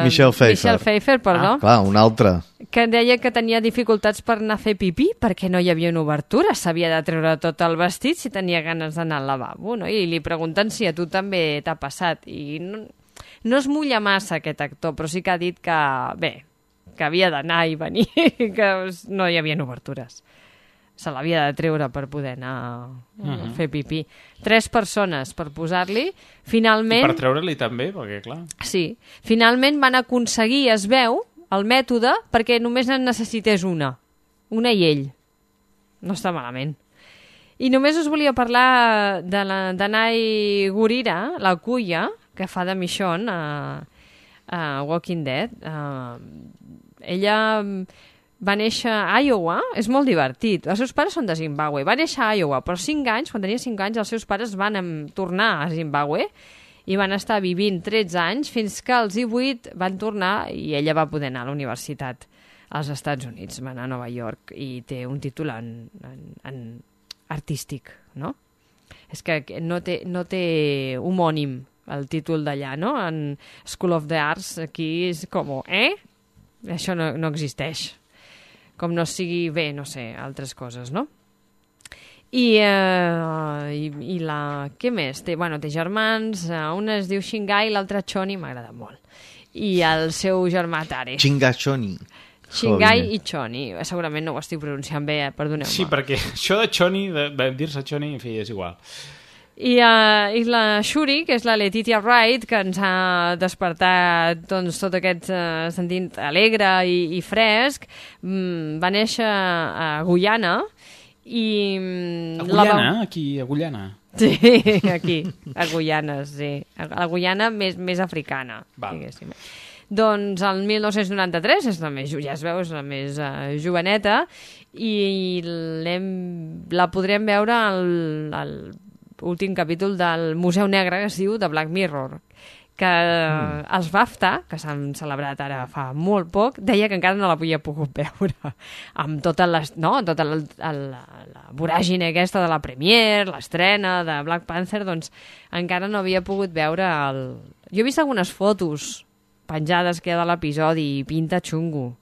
Michelle Pfeiffer, perdó. Clar, una altra. Que deia que tenia dificultats per anar a fer pipí perquè no hi havia una obertura, s'havia de treure tot el vestit si tenia ganes d'anar al lavabo, no? I li pregunten si a tu també t'ha passat. I no es mulla massa aquest actor, però sí que ha dit que, bé, que havia d'anar i venir, que no hi havia obertures. Se l'havia de treure per poder anar a fer pipí. 3 persones per posar-li. Finalment... I per treure-li també, perquè clar... Sí. Finalment van aconseguir, es veu, el mètode perquè només en necessités una i ell. No està malament. I només us volia parlar de Danai Gurira, la cuia, que fa de Michonne a Walking Dead. Ella va néixer a Iowa, és molt divertit. Els seus pares són de Zimbabue. Va néixer a Iowa, però 5 anys, quan tenia 5 anys, els seus pares van tornar a Zimbabue i van estar vivint 13 anys fins que als 18 van tornar i ella va poder anar a la universitat als Estats Units. Va anar a Nova York i té un títol en artístic, no? És que no té homònim el títol d'allà, no? En School of the Arts aquí és com, Això no existeix. Com no sigui bé, no sé, altres coses, no? I la... Què més? Té germans, un es diu Shingai, l'altre Choni, m'agrada molt. I el seu germà Tare. Chingachoni. Shingai i Choni. Segurament no ho estic pronunciant bé, perdoneu-me. Sí, perquè això de Choni, de dir-se Choni, en fi, és igual. I la Shuri, que és la Letitia Wright, que ens ha despertat doncs, tot aquest sentit alegre i fresc, va néixer a Guyana i... A Guyana? Aquí, a Guyana? Sí, aquí, a Guyana, sí. A la Guyana més africana, diguéssim. Doncs el 1993, ja es veu, és la més joveneta, i la podrem veure al últim capítol del Museu Negre, que es diu The Black Mirror, que els BAFTA, que s'han celebrat ara fa molt poc, deia que encara no l'havia pogut veure amb tota la voràgine aquesta de la premiere, l'estrena de Black Panther, doncs encara no havia pogut veure Jo he vist algunes fotos penjades que hi ha de l'episodi i pinta xungo.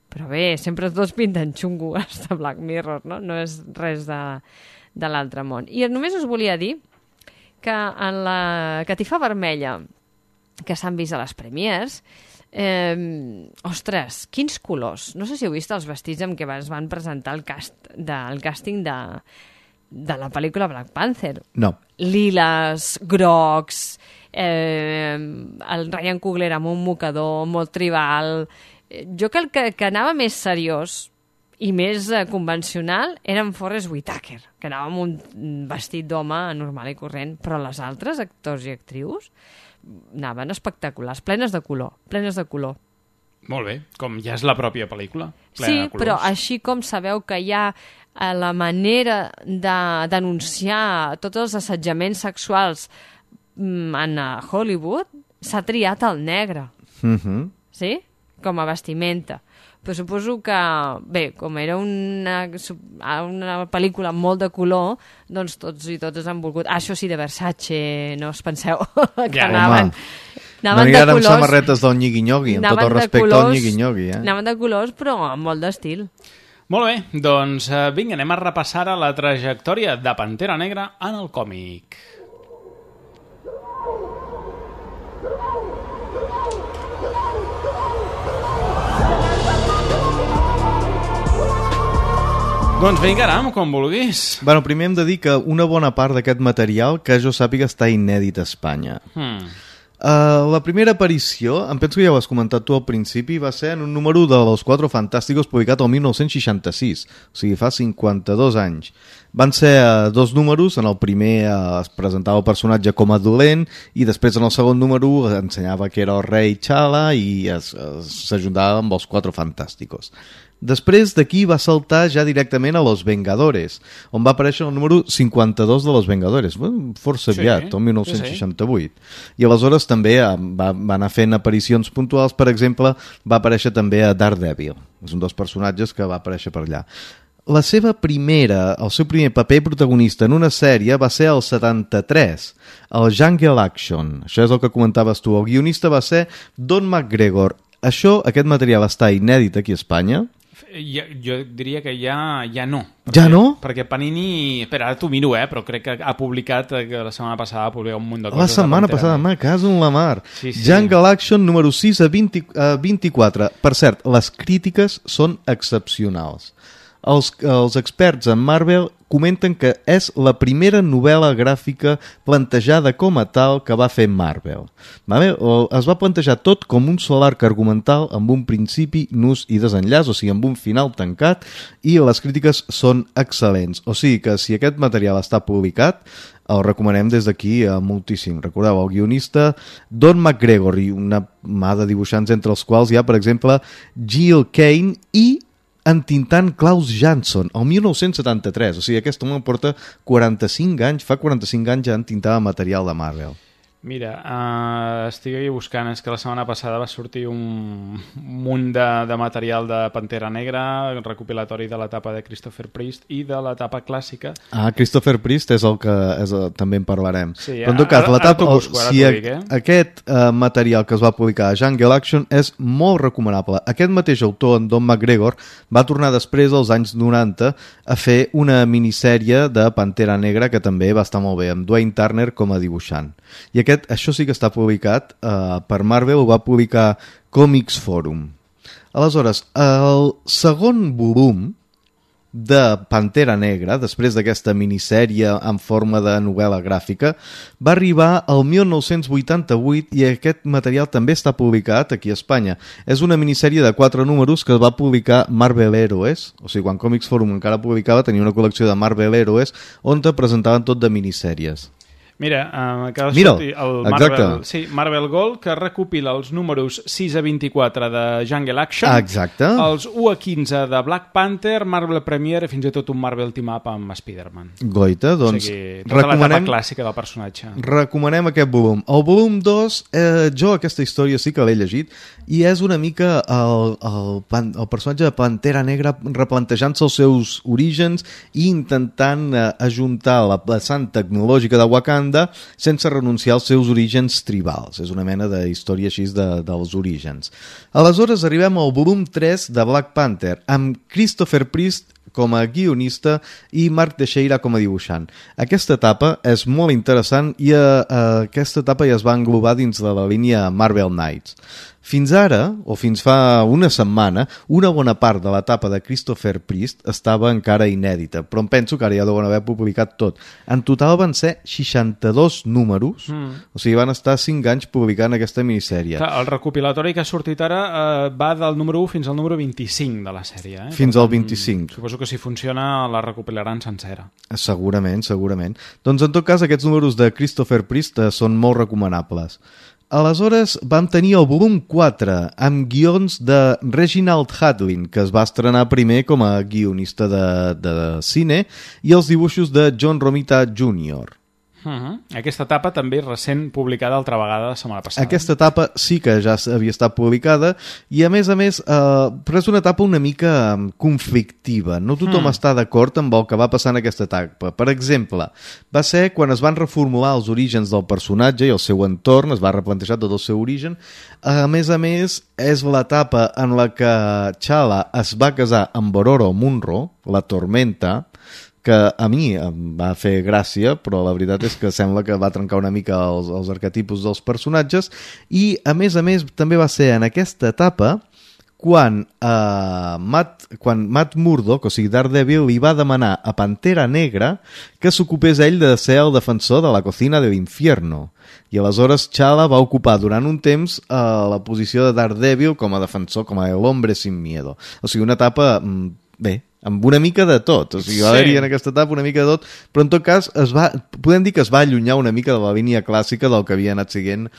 Però bé, sempre tots pinten xungo hasta Black Mirror, no? No és res de l'altre món. I només us volia dir que en la catifa vermella que s'han vist a les premiers, ostres, quins colors. No sé si heu vist els vestits amb què es van presentar el càsting de la pel·lícula Black Panther. No. Liles, grocs, el Ryan Coogler amb un mocador molt tribal. Jo que anava més seriós i més convencional era en Forrest Whitaker, que anava amb un vestit d'home normal i corrent, però les altres actors i actrius anaven espectaculars, plenes de color. Molt bé, com ja és la pròpia pel·lícula. Sí, però així com sabeu que hi ha la manera de denunciar tots els assetjaments sexuals en Hollywood, s'ha triat el negre, sí? Com a vestimenta. Però suposo que, bé, com era una pel·lícula amb molt de color, doncs tots i totes han volgut... això sí, de Versace, no us penseu que anaven de colors... amb samarretes del nyigui-nyogui, amb tot el respecte al nyigui-nyogui. Anaven de colors, però amb molt d'estil. Molt bé, doncs vinga, anem a repassar la trajectòria de Pantera Negra en el còmic. Doncs vinga, Aram, com vulguis. Bueno, primer hem de dir que una bona part d'aquest material, que jo sàpiga, està inèdit a Espanya. La primera aparició, em penso que ja ho has comentat tu al principi, va ser en un número de Los Cuatro Fantásticos publicat el 1966, o sigui, fa 52 anys. Van ser 2 números, en el primer es presentava el personatge com a dolent i després en el segon número ensenyava que era el rei T'Challa i s'ajuntava amb els Cuatro Fantásticos. Després d'aquí va saltar ja directament a Los Vengadores, on va aparèixer el número 52 de Los Vengadores, força aviat, el 1968. I aleshores també va anar fent aparicions puntuals, per exemple, va aparèixer també a Daredevil, és un dels personatges que va aparèixer per allà. El seu primer paper protagonista en una sèrie va ser el 73, el Jungle Action. Això és el que comentaves tu. El guionista va ser Don McGregor. Aquest material va estar inèdit aquí a Espanya. Jo diria que ja no. Ja no? Perquè Panini... Espera, ara t'ho miro, però crec que ha publicat, que la setmana passada ha publicat un munt de coses. La setmana passada, me caso en la mar. Sí. Jungle Action número 6 a 24. Per cert, les crítiques són excepcionals. Els experts en Marvel comenten que és la primera novel·la gràfica plantejada com a tal que va fer Marvel. Es va plantejar tot com un sol arc argumental amb un principi, nus i desenllaç, o sigui, amb un final tancat, i les crítiques són excel·lents. O sigui que si aquest material està publicat, el recomanem des d'aquí moltíssim. Recordeu, el guionista Don McGregor i una mà de dibuixants entre els quals hi ha, per exemple, Jill Kane i entintant Klaus Jansson, el 1973. O sigui, aquest home porta 45 anys, fa 45 anys ja entintava material de Marvel. Mira, estic aquí buscant, és que la setmana passada va sortir un munt de material de Pantera Negra, recopilatori de l'etapa de Christopher Priest i de l'etapa clàssica. Christopher Priest és el que també en parlarem. Sí, però en tot cas, aquest material que es va publicar a Jungle Action és molt recomanable. Aquest mateix autor, en Don McGregor, va tornar després, als anys 90, a fer una minissèrie de Pantera Negra que també va estar molt bé, amb Dwayne Turner com a dibuixant. I això sí que està publicat per Marvel, ho va publicar Comics Forum. Aleshores, el segon volum de Pantera Negra, després d'aquesta minissèrie en forma de novel·la gràfica, va arribar al 1988 i aquest material també està publicat aquí a Espanya. És una minissèrie de 4 números que es va publicar Marvel Heroes, o sigui, quan Comics Forum encara publicava, tenia una col·lecció de Marvel Heroes on te presentaven tot de minissèries. Mira, acaba de sortir el Marvel Gold, que recopila els números 6 a 24 de Jungle Action, els 1 a 15 de Black Panther, Marvel Premiere i fins i tot un Marvel Team-Up amb Spider-Man. Goita, doncs... O sigui, tota l'etapa clàssica del personatge. Recomanem aquest volum. El volum 2, jo aquesta història sí que l'he llegit, i és una mica el personatge de Pantera Negra replantejant-se els seus orígens i intentant ajuntar la vessant tecnològica de Wakanda sense renunciar als seus orígens tribals. És una mena de història així dels orígens. Aleshores arribem al volum 3 de Black Panther, amb Christopher Priest com a guionista i Mark Teixeira com a dibuixant. Aquesta etapa és molt interessant i aquesta etapa ja es va englobar dins de la línia Marvel Knights. Fins ara, o fins fa una setmana, una bona part de l'etapa de Christopher Priest estava encara inèdita, però em penso que ara ja deuen haver publicat tot. En total van ser 62 números, o sigui, van estar 5 anys publicant aquesta minissèrie. Clar, el recopilatori que ha sortit ara va del número 1 fins al número 25 de la sèrie. Fins al 25. Suposo que si funciona la recopilaran sencera. Segurament. Doncs en tot cas aquests números de Christopher Priest són molt recomanables. Aleshores vam tenir el volum 4 amb guions de Reginald Hudlin, que es va estrenar primer com a guionista de cine, i els dibuixos de John Romita Jr. Aquesta etapa també recent publicada altra vegada la setmana passada. Aquesta etapa sí que ja havia estat publicada i a més, però és una etapa una mica conflictiva. No tothom està d'acord amb el que va passar en aquesta etapa. Per exemple, va ser quan es van reformular els orígens del personatge i el seu entorn, es va replantejar tot el seu origen. A més, és l'etapa en la que T'Challa es va casar amb Ororo Munro, la Tormenta, que a mi em va fer gràcia, però la veritat és que sembla que va trencar una mica els arquetipus dels personatges, i a més també va ser en aquesta etapa quan Matt Murdock, o sigui Daredevil, li va demanar a Pantera Negra que s'ocupés ell de ser el defensor de la cocina de l'infierno. I aleshores T'Challa va ocupar durant un temps la posició de Daredevil com a defensor, com a el hombre sin miedo. O sigui, una etapa, bé, amb una mica de tot, o sigui, va haver-hi en aquesta etapa una mica de tot, però en tot cas podem dir que es va allunyar una mica de la línia clàssica del que havia anat siguent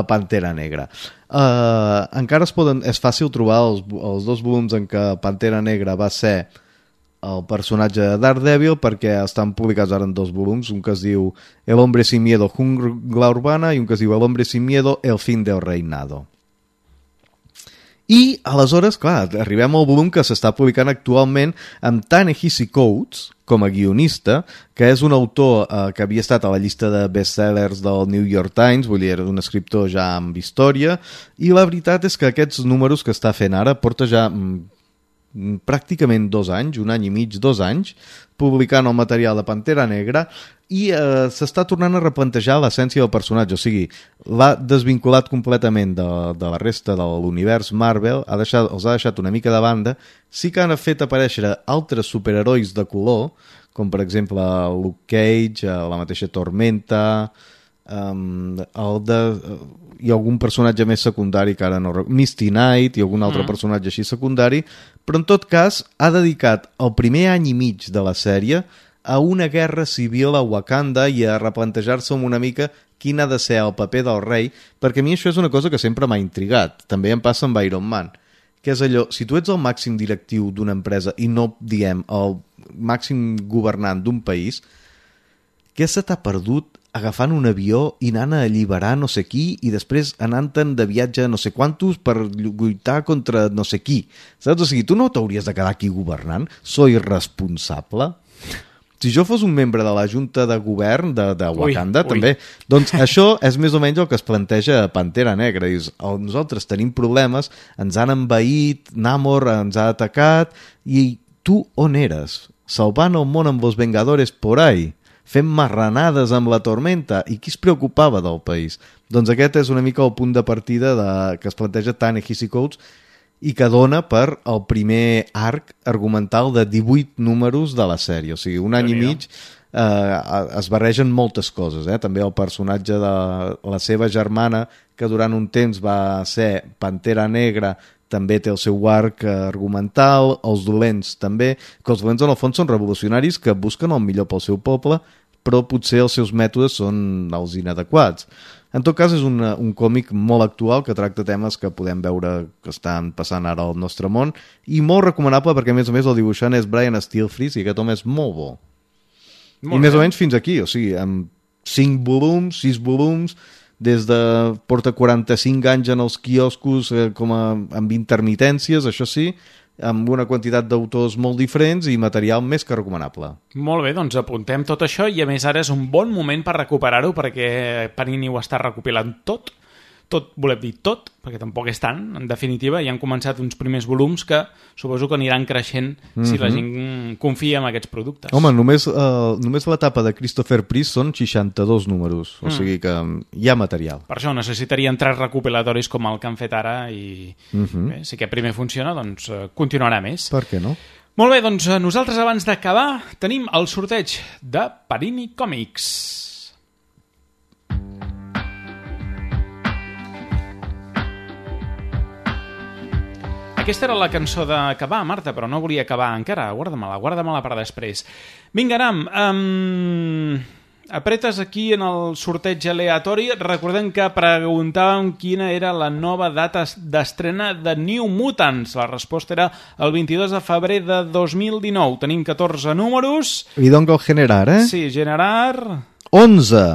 Pantera Negra. Encara és fàcil trobar els dos volums en què Pantera Negra va ser el personatge de Daredevil, perquè estan publicats ara en 2 volums, un que es diu El hombre sin miedo, jungla urbana, i un que es diu El hombre sin miedo, el fin del reinado. I aleshores, clar, arribem al volum que s'està publicant actualment amb Ta-Nehisi Coates com a guionista, que és un autor que havia estat a la llista de bestsellers del New York Times, vull dir, era un escriptor ja amb història, i la veritat és que aquests números que està fent ara porta ja pràcticament 2 anys, 1 any i mig, 2 anys, publicant el material de Pantera Negra, i s'està tornant a replantejar l'essència del personatge, o sigui, l'ha desvinculat completament de la resta de l'univers Marvel, els ha deixat una mica de banda. Sí que han fet aparèixer altres superherois de color, com per exemple Luke Cage, la mateixa Tormenta, i algun personatge més secundari que ara no recordo, Misty Knight i algun altre personatge així secundari, però en tot cas ha dedicat el primer any i mig de la sèrie a una guerra civil a Wakanda i a replantejar-se una mica quin ha de ser el paper del rei, perquè a mi això és una cosa que sempre m'ha intrigat, també em passa amb Iron Man, que és allò, si tu ets el màxim directiu d'una empresa i no, diem, el màxim governant d'un país, què se t'ha perdut agafant un avió i anant a alliberar no sé qui i després anant-te'n de viatge no sé quantos per lluitar contra no sé qui, saps? O sigui, tu no t'hauries de quedar aquí governant? Soy responsable? Si jo fos un membre de la Junta de Govern de Wakanda, també, doncs això és més o menys el que es planteja a Pantera Negra. Dius, nosaltres tenim problemes, ens han envaït, Namor ens ha atacat, i tu on eres? Salvant el món amb els Vengadores por ahí? Fent marranades amb la Tormenta, i qui es preocupava del país? Doncs aquest és una mica el punt de partida que es planteja Ta-Nehisi Coates i que dona per el primer arc argumental de 18 números de la sèrie, o sigui, un any i mig es barregen moltes coses, també el personatge de la seva germana, que durant un temps va ser Pantera Negra, també té el seu arc argumental, els dolents també, que els dolents en el fons són revolucionaris que busquen el millor pel seu poble, però potser els seus mètodes són els inadequats. En tot cas, és un còmic molt actual que tracta temes que podem veure que estan passant ara al nostre món, i molt recomanable perquè, a més el dibuixant és Brian Stelfreeze, i aquest home és molt bo. I més o menys fins aquí, o sigui, amb 5 volums, 6 volums, des de porta 45 anys en els quioscos amb intermitències, això sí, amb una quantitat d'autors molt diferents i material més que recomanable. Molt bé, doncs apuntem tot això, i a més ara és un bon moment per recuperar-ho perquè Panini ho està recopilant tot. tot, volem dir tot, perquè tampoc és tant, en definitiva, i han començat uns primers volums que suposo que aniran creixent si la gent confia en aquests productes. Home, només l'etapa de Christopher Priest són 62 números, o sigui que hi ha material. Per això necessitarien 3 recopilatoris com el que han fet ara i bé, si aquest primer funciona, doncs continuarà més. Per què no? Molt bé, doncs nosaltres abans d'acabar tenim el sorteig de Panini Comics. Aquesta era la cançó d'acabar, Marta, però no volia acabar encara. Guarda-me-la per després. Vinga, Aram, apretes aquí en el sorteig aleatori. Recordem que preguntàvem quina era la nova data d'estrena de New Mutants. La resposta era el 22 de febrer de 2019. Tenim 14 números. I dongo generar, eh? Sí, generar... 11.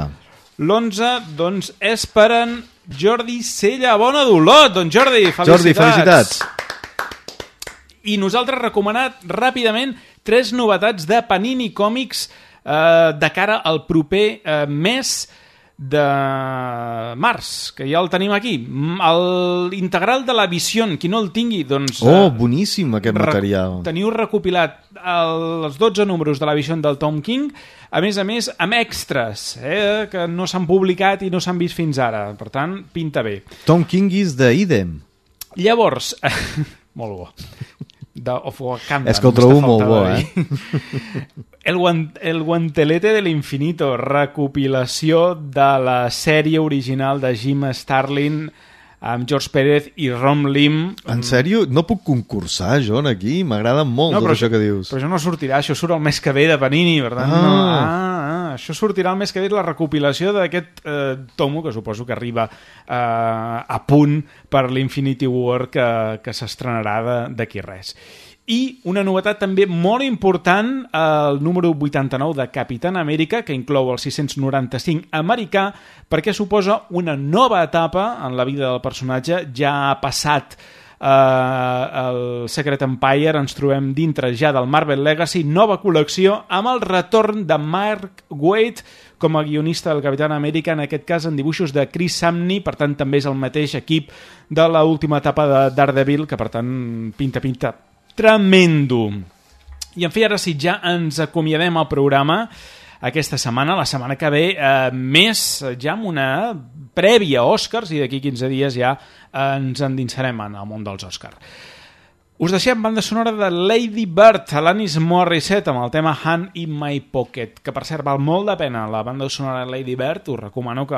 L'11, doncs, és per en Jordi Sella Bona d'Olot. Doncs Jordi, felicitats. Jordi, felicitats. I nosaltres recomanat ràpidament 3 novetats de Panini Comics de cara al proper mes de març, que ja el tenim aquí. L'integral de la Vision, qui no el tingui, doncs... boníssim aquest material. Teniu recopilat els 12 números de la Vision del Tom King, a més, amb extras, que no s'han publicat i no s'han vist fins ara. Per tant, pinta bé. Tom King is de Idem. Llavors... molt bo. Of Wakanda. És que ho trobo molt bo, El Guantelete de l'Infinito, recopilació de la sèrie original de Jim Starlin amb George Pérez i Rom Lim. En sèrio? No puc concursar, John, aquí? M'agrada molt tot això que dius. Però això no sortirà, això surt el mes que ve de Panini, per tant, això sortirà el mes que ve, la recopilació d'aquest tomo, que suposo que arriba a punt per l'Infinity War que s'estrenarà d'aquí res. I una novetat també molt important, el número 89 de Capitán Amèrica, que inclou el 695 americà, perquè suposa una nova etapa en la vida del personatge. Ja ha passat el Secret Empire, ens trobem dintre ja del Marvel Legacy, nova col·lecció amb el retorn de Mark Waid com a guionista del Capitán Amèrica, en aquest cas en dibuixos de Chris Samney, per tant també és el mateix equip de l'última etapa de Daredevil, que per tant pinta tremendo. I en fi, ara sí, ja ens acomiadem al programa aquesta setmana, la setmana que ve, més ja amb una prèvia Oscars, i d'aquí 15 dies ja ens endinsarem en el món dels Oscars. Us deixem banda sonora de Lady Bird, Alanis Morissette, amb el tema Hand in My Pocket, que per cert val molt de pena la banda sonora de Lady Bird. Us recomano que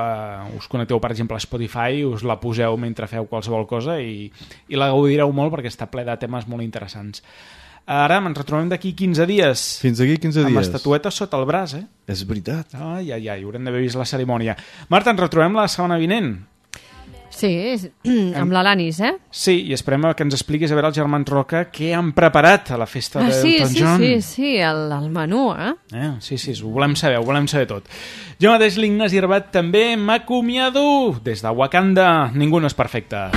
us connecteu, per exemple, a Spotify, us la poseu mentre feu qualsevol cosa i la gaudireu molt perquè està ple de temes molt interessants. Ara ens retrobem d'aquí 15 dies. Fins aquí 15 dies. Amb estatuetes sota el braç, És veritat. Ai, haurem d'haver vist la cerimònia. Marta, ens retrobem la setmana vinent. Sí, amb l'Alanis, Sí, i esperem que ens expliquis a veure els germans Roca què han preparat a la festa d'Elton John. Sí, el menú, Sí, ho volem saber tot. Jo mateix, l'Ignasi Herbat, també m'acomiado des de Wakanda. Ningú no és perfecte.